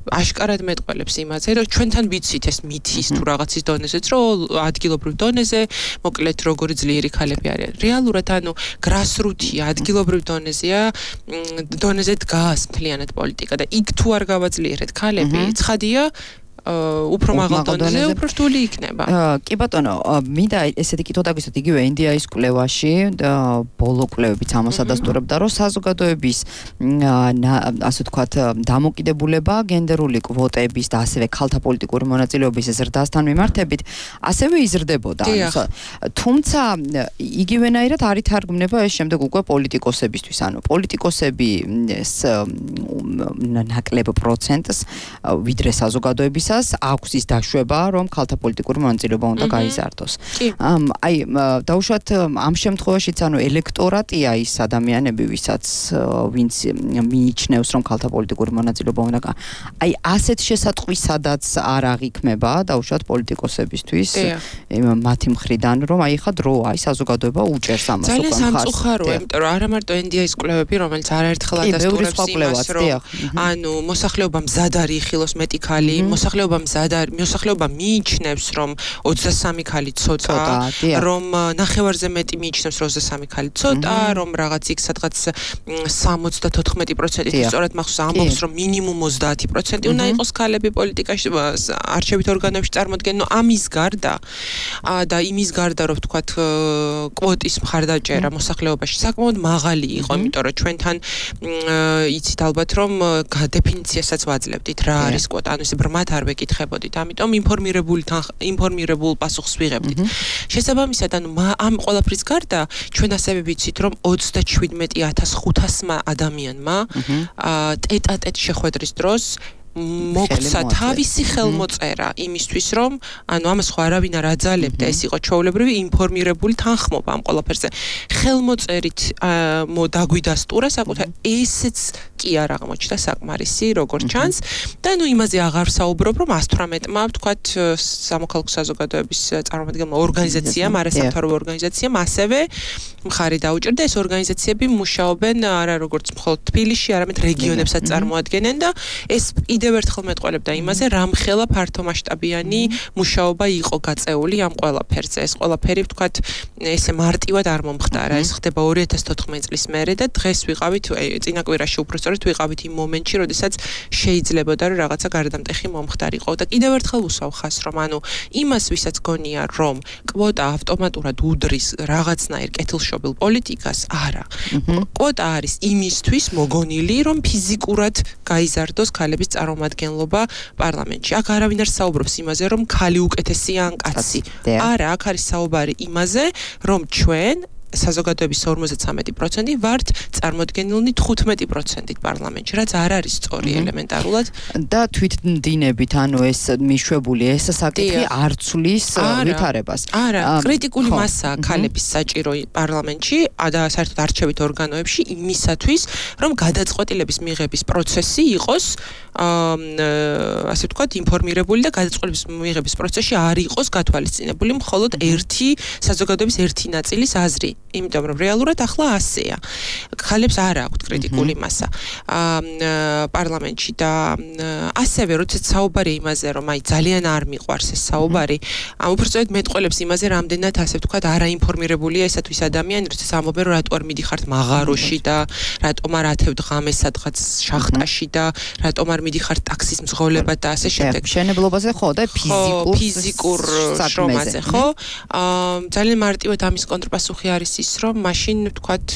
აშკარად მეტყველებს იმაზე, რომ ჩვენთან ვიცით ეს მითის თუ რაღაცის დონეზეც, რომ ადგილობრივ დონეზე, მოკლედ როგორი ძლიერი ქალები არიან. რეალურად ანუ გრასრუთია, ადგილობრივ დონეზეა, დონეზე დგას მთლიანად პოლიტიკა და იქ თუ არ გავაძლიერეთ ქალები, ცხადია უფრო მაღალ დონეზე უფრო რთული იქნება. კი ბატონო, მინდა ესეთი კითხვა დაგვისვათ იგივე ენდიაის კვლევაში ბოლო კვლევებიც ამას ადასტურებდა, რომ საზოგადოების ასე ვთქვათ დამოკიდებულება გენდერული კვოტების და ასევე ქალთა პოლიტიკური მონაწილეობის ზრდასთან მიმართებით ასევე იზრდებოდა. თუმცა იგივენაირად არ ითარგმნება ეს შემდეგ უკვე პოლიტიკოსებისთვის, ანუ პოლიტიკოსები ნაკლებ პროცენტს ვიდრე საზოგადოების აქვს ის დაშვება, რომ ქალთა პოლიტიკური მონაწილეობა უნდა გაიზარდოს. აი, დაუშვათ ამ შემთხვევაშიც, ანუ ელექტორატია ის ადამიანები, ვისაც ვინც მიიჩნევს, რომ ქალთა პოლიტიკური მონაწილეობა უნდა გა. აი, ასეთ შესატყვისადაც არ აღიქმება, დაუშვათ პოლიტიკოსებისთვის, მათი მხრიდან, რომ აი ხა დროა, აი საზოგადოება უჭერს ამას უკვე მხარს. ძალიან სამწუხაროა, იმიტომ რომ არა მარტო ენდიაის კვლევები, რომელიც არაერთხელ ადასტურებს იმას, რომ ანუ მოსახლეობა მზად არის იხილოს მეტი ქალი, მოსახლეობა მზად არის, მოსახლეობა მიიჩნევს, რომ ოცდასამი ქალი ცოტა, რომ ნახევარზე მეტი მიიჩნევს, რომ ოცდასამი ქალი ცოტა, რომ რაღაც იქ სადღაც სამოცდათოთხმეტი პროცენტი სწორად მახსოვს ამბობს, რომ მინიმუმ ოცდაათი პროცენტი უნდა იყოს ქალები პოლიტიკაში, არჩევით ორგანოებში წარმოდგენ, ნუ ამის გარდა და იმის გარდა, რომ ვთქვათ კვოტის მხარდაჭერა მოსახლეობაში საკმაოდ მაღალი იყო, იმიტომ რომ ჩვენთან იცით ალბათ, რომ დეფინიციასაც ვაძლევდით, რა არის კვოტა, ანუ ეს ბრმად არ ვეკითხებოდით, ამიტომ ინფორმირებული ინფორმირებულ პასუხს ვიღებდით. შესაბამისად, ანუ ამ ყველაფრის გარდა ჩვენ ასევე ვიცით, რომ ოცდაშვიდმეტი ათას ხუთასმა ადამიანმა ტეტ-ატეტ შეხვედრის დროს მოგცა თავისი ხელმოწერა იმისთვის, რომ ანუ ამას ხო არავინ არ აძალებდა, ეს იყო ჩვეულებრივი ინფორმირებული თანხმობა ამ ყველაფერზე. ხელმოწერით დაგვიდასტურა საკუთარ ესეც კი არ აღმოჩნდა საკმარისი, როგორც ჩანს და ნუ იმაზე აღარ საუბრობ, რომ ას თვრამეტმა ვთქვათ სამოქალაქო საზოგადოების წარმომადგენელმა ორგანიზაციამ, არასამთავრობო ორგანიზაციამ ასევე მხარი დაუჭირდა. ეს ორგანიზაციები მუშაობენ არა როგორც მხოლოდ თბილისში, არამედ რეგიონებსაც წარმოადგენენ და ეს კიდევ ერთხელ მეტყველებდა იმაზე, რამხელა ფართომასშტაბიანი მუშაობა იყო გაწეული ამ ყველაფერზე. ეს ყველაფერი ვთქვათ, ესე მარტივად არ მომხდარა. ეს ხდება ორი ათას თოთხმეტი წლის მერე და დღეს ვიყავით, წინა კვირაში უბრალოდ ვიყავით იმ მომენტში, როდესაც შეიძლებოდა რომ რაღაცა გარდამტეხი მომხდარიყო და კიდევ ერთხელ უსვავ ხას, რომ ანუ იმას ვისაც გონია, რომ კვოტა ავტომატურად უდრის რაღაცნაირ კეთილშობილ პოლიტიკას, არა. კვოტა არის იმისთვის მოგონილი, რომ ფიზიკურად გაიზარდოს ქალების წარმომადგენლობა პარლამენტში. აქ არავინ არ საუბრობს იმაზე, რომ ქალი უკეთესია ან კაცი. არა, აქ არის საუბარი იმაზე, რომ ჩვენ საზოგადოების ორმოცდათვრამეტი პროცენტი ვართ წარმოდგენილნი თხუთმეტი პროცენტით პარლამენტში, რაც არ არის სწორი ელემენტარულად და თვითმდინებით, ანუ ეს მიშვებული ეს საკითხი არ ცვლის ვითარებას. არა, კრიტიკული მასაა ქალების საჭირო პარლამენტში და საერთოდ არჩევით ორგანოებში იმისათვის, რომ გადაწყვეტილების მიღების პროცესი იყოს ასე ვთქვათ, ინფორმირებული და გადაწყვეტილების მიღების პროცესში არ იყოს გათვალისწინებული მხოლოდ ერთი საზოგადოების ერთი ნაწილის აზრი. იმიტომ რომ რეალურად ახლა ასეა. ხალებს არ აქვთ კრიტიკული მასა პარლამენტში და ასევე როდესაც საუბარი იმაზე რომ აი ძალიან არ მიყვარს ეს საუბარი, უბრალოდ მეტყველებს იმაზე რამდენად ასე ვთქვათ არაინფორმირებულია ესათვის ადამიანი, როდესაც ამბობენ რომ რატო არ მიდიხართ მაღაროში და რატომ არ ათევთ ღამეს სადღაც შახტაში და რატომ არ მიდიხართ ტაქსის მძღოლებად და ასე შემდეგ. მშენებლობაზე ხო და ფიზიკურ ფიზიკურ შრომაზე, ხო? ძალიან მარტივად ამის კონტრპასუხი არის ის, რომ მაშინ ვთქვათ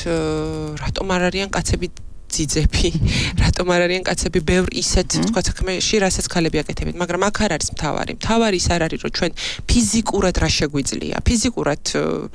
რატომ არ არიან კაცები ძიძები, რატომ არ არიან კაცები ბევრ ისეთ ვთქვათ საქმეში, რასაც ქალები აკეთებენ, მაგრამ აქ არ არის მთავარი. მთავარი ის არ არის, რომ ჩვენ ფიზიკურად რა შეგვიძლია. ფიზიკურად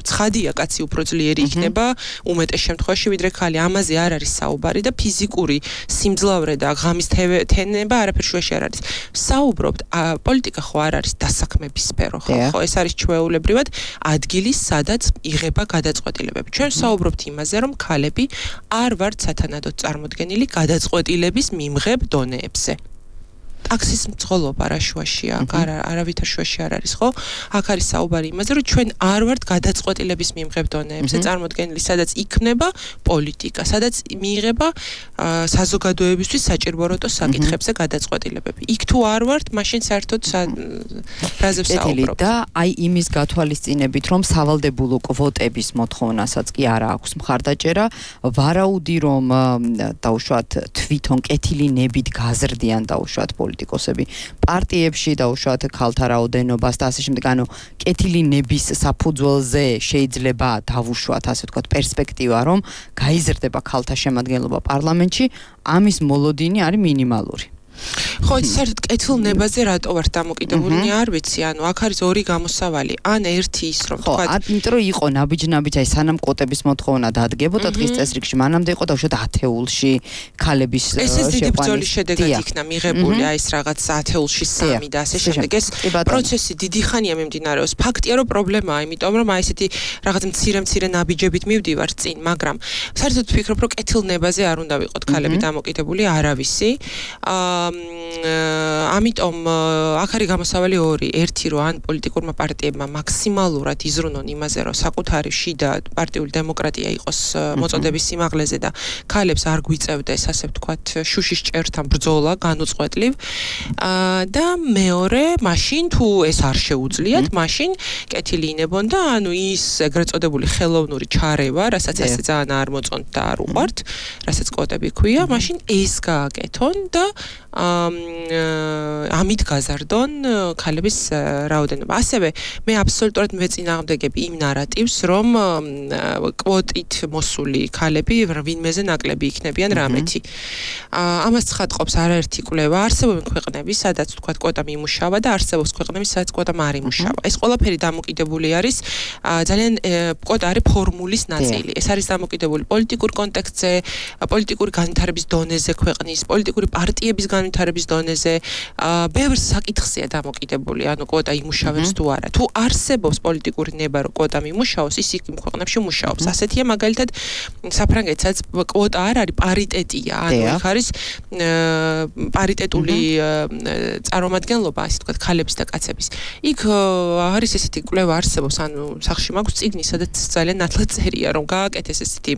ცხადია, კაცი უფრო ძლიერი იქნება უმეტეს შემთხვევაში, ვიდრე ქალი. ამაზე არ არის საუბარი და ფიზიკური სიმძლავრე და ღამის თენება არაფერ შუაში არ არის. საუბრობთ, პოლიტიკა ხო არ არის დასაქმების სფერო, ხო? ხო, ეს არის ჩვეულებრივად ადგილი, სადაც იღება გადაწყვეტილებები. ჩვენ საუბრობთ იმაზე, რომ ქალები არ ვართ სათანადოდ წარმოდგენილი გადაწყვეტილების მიმღებ დონეებზე. ტაქსის მძღოლობა რა შუაშია, არავითარ შუაში არ არის, ხო? აქ არის საუბარი იმაზე, რომ ჩვენ არ ვართ გადაწყვეტილების მიმღებ დონეებზე წარმოდგენილი, სადაც იქნება პოლიტიკა, სადაც მიიღება საზოგადოებისთვის საჭიროებო საკითხებზე გადაწყვეტილებები. იქ თუ არ ვართ, მაშინ საერთოდ რაზე ვსაუბრობთ? და აი იმის გათვალისწინებით, რომ სავალდებულო კვოტების მოთხოვნასაც კი არა აქვს მხარდაჭერა, ვარაუდი რომ დაუშვათ თვითონ კეთილი ნებით გაზრდიან დაუშვათ პოლიტიკოსები პარტიებში დაუშვათ ქალთა რაოდენობას და ასე შემდეგ, ანუ კეთილი ნების საფუძველზე შეიძლება დავუშვათ ასე ვთქვათ პერსპექტივა, რომ გაიზრდება ქალთა შემადგენლობა პარლამენტში, ამის მოლოდინი არის მინიმალური. ხო, საერთოდ კეთილ ნებაზე რატო ვარ დამოკიდებული, არ ვიცი, ანუ აქ არის ორი გამოსავალი. ან ერთი ის რომ თქვა, იმიტომ რომ იყო ნაბიჯ-ნაბიჯ, აი სანამ კვოტების მოთხოვნა დადგებოდა დღის წესრიგში, მანამდე იყო დაუშვათ ათეულში ქალების ეს ეს დიდი ბრძოლის შედეგად იქნა მიღებული, აი ეს რაღაც ათეულში სამი და ასე შემდეგ. ეს პროცესი დიდი ხანია მიმდინარეობს. ფაქტია რომ პრობლემაა, იმიტომ რომ აი ესეთი რაღაც მცირე-მცირე ნაბიჯებით მივდივარ წინ, მაგრამ საერთოდ ვფიქრობ, რომ კეთილ ნებაზე არ უნდა ვიყოთ ქალები დამოკიდებული, არავისი. აა ამიტომ აქ არის გამოსავალი ორი. ერთი რომ ან პოლიტიკურმა პარტიებმა მაქსიმალურად იზრუნონ იმაზე, რომ საკუთარი შიდა პარტიული დემოკრატია იყოს მოწოდების სიმაღლეზე და ქალებს არ გვიწევდეს, ასე ვთქვათ, შუშის ჭერთან ბრძოლა განუწყვეტლივ. და მეორე, მაშინ თუ ეს არ შეუძლიათ, მაშინ კეთილი ინებონ და ანუ ის ეგრეთ წოდებული ხელოვნური ჩარევა, რასაც ასე ძალიან არ მოწონთ და არ უყვართ, რასაც კვოტები ქვია, მაშინ ეს გააკეთონ და ამით გაზარდონ ქალების რაოდენობა. ასევე მე აბსოლუტურად მეწინააღმდეგები იმ ნარატივს, რომ კვოტით მოსული ქალები ვინმეზე ნაკლები იქნებიან რამეთი. ამას ცხადყოფს არაერთი კვლევა. არსებობენ ქვეყნები, სადაც თქვა კვოტა მიმუშავა და არსებობს ქვეყნები, სადაც კვოტა არ იმუშავა. ეს ყველაფერი დამოკიდებული არის ძალიან კვოტა არის ფორმულის ნაწილი. ეს არის დამოკიდებული პოლიტიკურ კონტექსტზე, პოლიტიკური განვითარების დონეზე ქვეყნის, პოლიტიკური პარტიების განვითარების დონეზე, ბევრ საკითხზეა დამოკიდებული, ანუ კვოტა იმუშავებს თუ არა. თუ არსებობს პოლიტიკური ნება, რომ კვოტა მიმუშაოს, ის იქ ქვეყნებში მუშაობს. ასეთია მაგალითად საფრანგეთსაც კვოტა არ არის, პარიტეტია, ანუ იქ არის პარიტეტული წარმომადგენლობა, ასე ვთქვათ, ქალების და კაცების. იქ არის ესეთი კვლევა არსებობს, ანუ სახში მაქვს წიგნი, სადაც ძალიან ნათლად წერია, რომ გააკეთეს ესეთი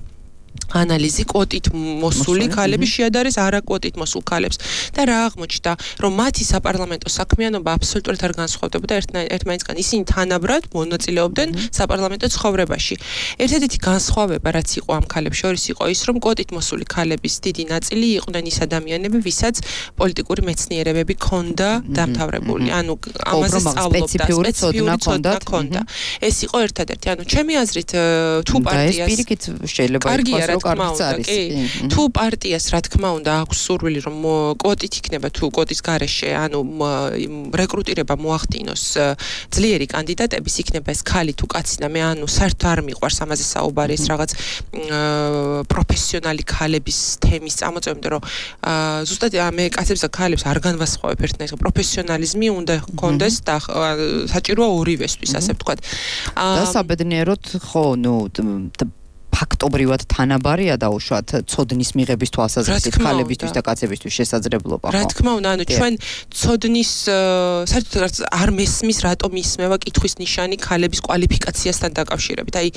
ანალიზი კვოტით მოსული ქალების შეადარეს არაკვოტით მოსულ ქალებს და რა აღმოჩნდა, რომ მათი საპარლამენტო საქმიანობა აბსოლუტურად არ განსხვავდებოდა ერთმანეთისგან. ისინი თანაბრად მონაწილეობდნენ საპარლამენტო ცხოვრებაში. ერთადერთი განსხვავება, რაც იყო ამ ქალებს შორის, იყო ის, რომ კვოტით მოსული ქალების დიდი ნაწილი იყვნენ ის ადამიანები, ვისაც პოლიტიკური მეცნიერებები ჰქონდა დამთავრებული. ანუ ამაზე სწავლობდა, სპეციფიური ცოდნა ჰქონდა. ეს იყო ერთადერთი. ანუ ჩემი აზრით, თუ პარტიას პირიქით შეიძლება ითქვას, რომ კარგიც არის. თუ პარტიას რა თქმა უნდა აქვს სურვილი, რომ კვოტით იქნება თუ კვოტის გარეშე, ანუ რეკრუტირება მოახდინოს ძლიერი კანდიდატების, იქნება ეს ქალი თუ კაცი და მე ანუ საერთოდ არ მიყვარს ამაზე საუბარი, ეს რაღაც პროფესიონალი ქალების თემის წამოწევამდე, რომ ზუსტად მე კაცებს და ქალებს არ განვასხვავებ ერთნაირად, პროფესიონალიზმი უნდა ჰქონდეს და საჭიროა ორივესთვის, ასე ვთქვათ. და საბედნიეროდ ხო, ნუ ფაქტობრივად თანაბარია დაუშვათ ცოდნის მიღების თვალსაზრისით ქალებისთვის და კაცებისთვის შესაძლებლობა ხო? რა თქმა უნდა, ანუ ჩვენ ცოდნის საერთოდ არ მესმის რატომ ისმევა კითხვის ნიშანი ქალების კვალიფიკაციასთან დაკავშირებით. აი,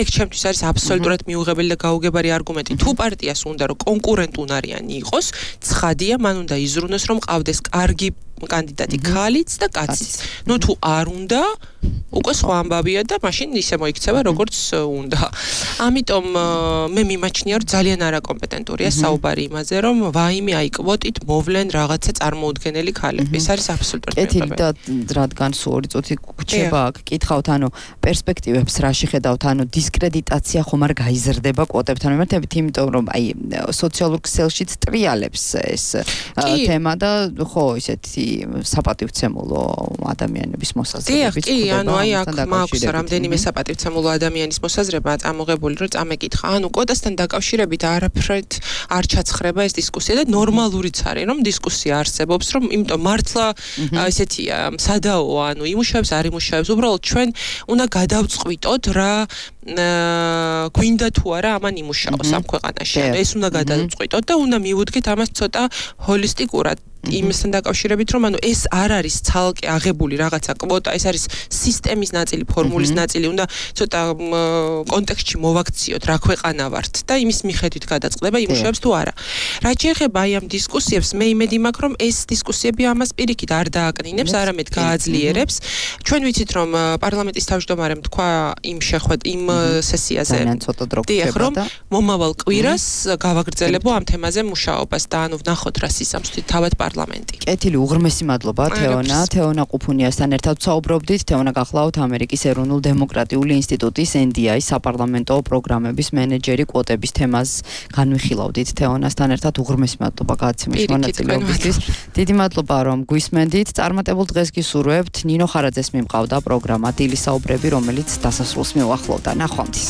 ეგ ჩემთვის არის აბსოლუტურად მიუღებელი და გაუგებარი არგუმენტი. თუ პარტიას უნდა რომ კონკურენტუნარიანი იყოს, ცხადია, მან უნდა იზრუნოს რომ ყავდეს კარგი კანდიდატი ქალიც და კაციც. ნუ თუ არ უნდა, უკვე სხვა ამბავია და მაშინ ისე მოიქცევა როგორც უნდა. ამიტომ მე მიმაჩნია რომ ძალიან არაკომპეტენტურია საუბარი იმაზე რომ ვაიმე აი კვოტით მოვლენ რაღაცა წარმოუდგენელი ქალები. ეს არის აბსოლუტურად კეთილი და რადგან სულ ორი წუთი გრჩება აქ კითხავთ ანუ პერსპექტივებს რაში ხედავთ ანუ დისკრედიტაცია ხომ არ გაიზრდება კვოტებთან მიმართებით იმიტომ რომ აი სოციალურ ქსელშიც ტრიალებს ეს თემა და ხო ისეთი საპატივცემულო ადამიანების მოსაზრებებით. კი, ანუ აი აქ მაქვს რამდენიმე საპატივცემულო ადამიანის მოსაზრება წამოღებული რომ წამეკითხა. ანუ კვოტასთან დაკავშირებით არაფრით არ ჩაცხრება ეს დისკუსია და ნორმალურიც არის რომ დისკუსია არსებობს რომ იმიტომ მართლა ესეთია სადაო ანუ იმუშავებს არ იმუშავებს უბრალოდ ჩვენ უნდა გადავწყვიტოთ რა გვინდა თუ არა ამან იმუშაოს ამ ქვეყანაში. ეს უნდა გადავწყვიტოთ და უნდა მივუდგეთ ამას ცოტა ჰოლისტიკურად. იმასთან დაკავშირებით რომ ანუ ეს არ არის ცალკე აღებული რაღაცა კვოტა, ეს არის სისტემის ნაწილი, ფორმულის ნაწილი, უნდა ცოტა კონტექსტში მოვაქციოთ რა ქვეყანა ვართ და იმის მიხედვით გადაწყდება იმუშავებს თუ არა. რაც შეეხება აი ამ დისკუსიებს, მე იმედი მაქვს რომ ეს დისკუსიები ამას პირიქით არ დააკნინებს, არამედ გააძლიერებს. ჩვენ ვიცით რომ პარლამენტის თავმჯდომარემ თქვა იმ შეხვედ იმ სესიაზე რომ მომავალ კვირას გავაგრძელებო ამ თემაზე მუშაობას და ანუ ვნახოთ რა სისამსთით თავად პარლამენტი. კეთილი უღრმესი მადლობა თეონა, თეონა ყუფუნიასთან ერთად ვსაუბრობდით. თეონა გახლავთ ამერიკის ეროვნულ დემოკრატიული ინსტიტუტის ენ დი აი საპარლამენტო პროგრამების მენეჯერი კვოტების თემას განვიხილავდით თეონასთან ერთად უღრმესი მადლობა გადაცემის მონაწილეობისთვის. დიდი მადლობა რომ გვისმენდით. წარმატებულ დღეს გისურვებთ. ნინო ხარაძეს მიმყავდა პროგრამა დილის საუბრები, რომელიც დასასრულს მიუახლოვდა. ნახვამდის.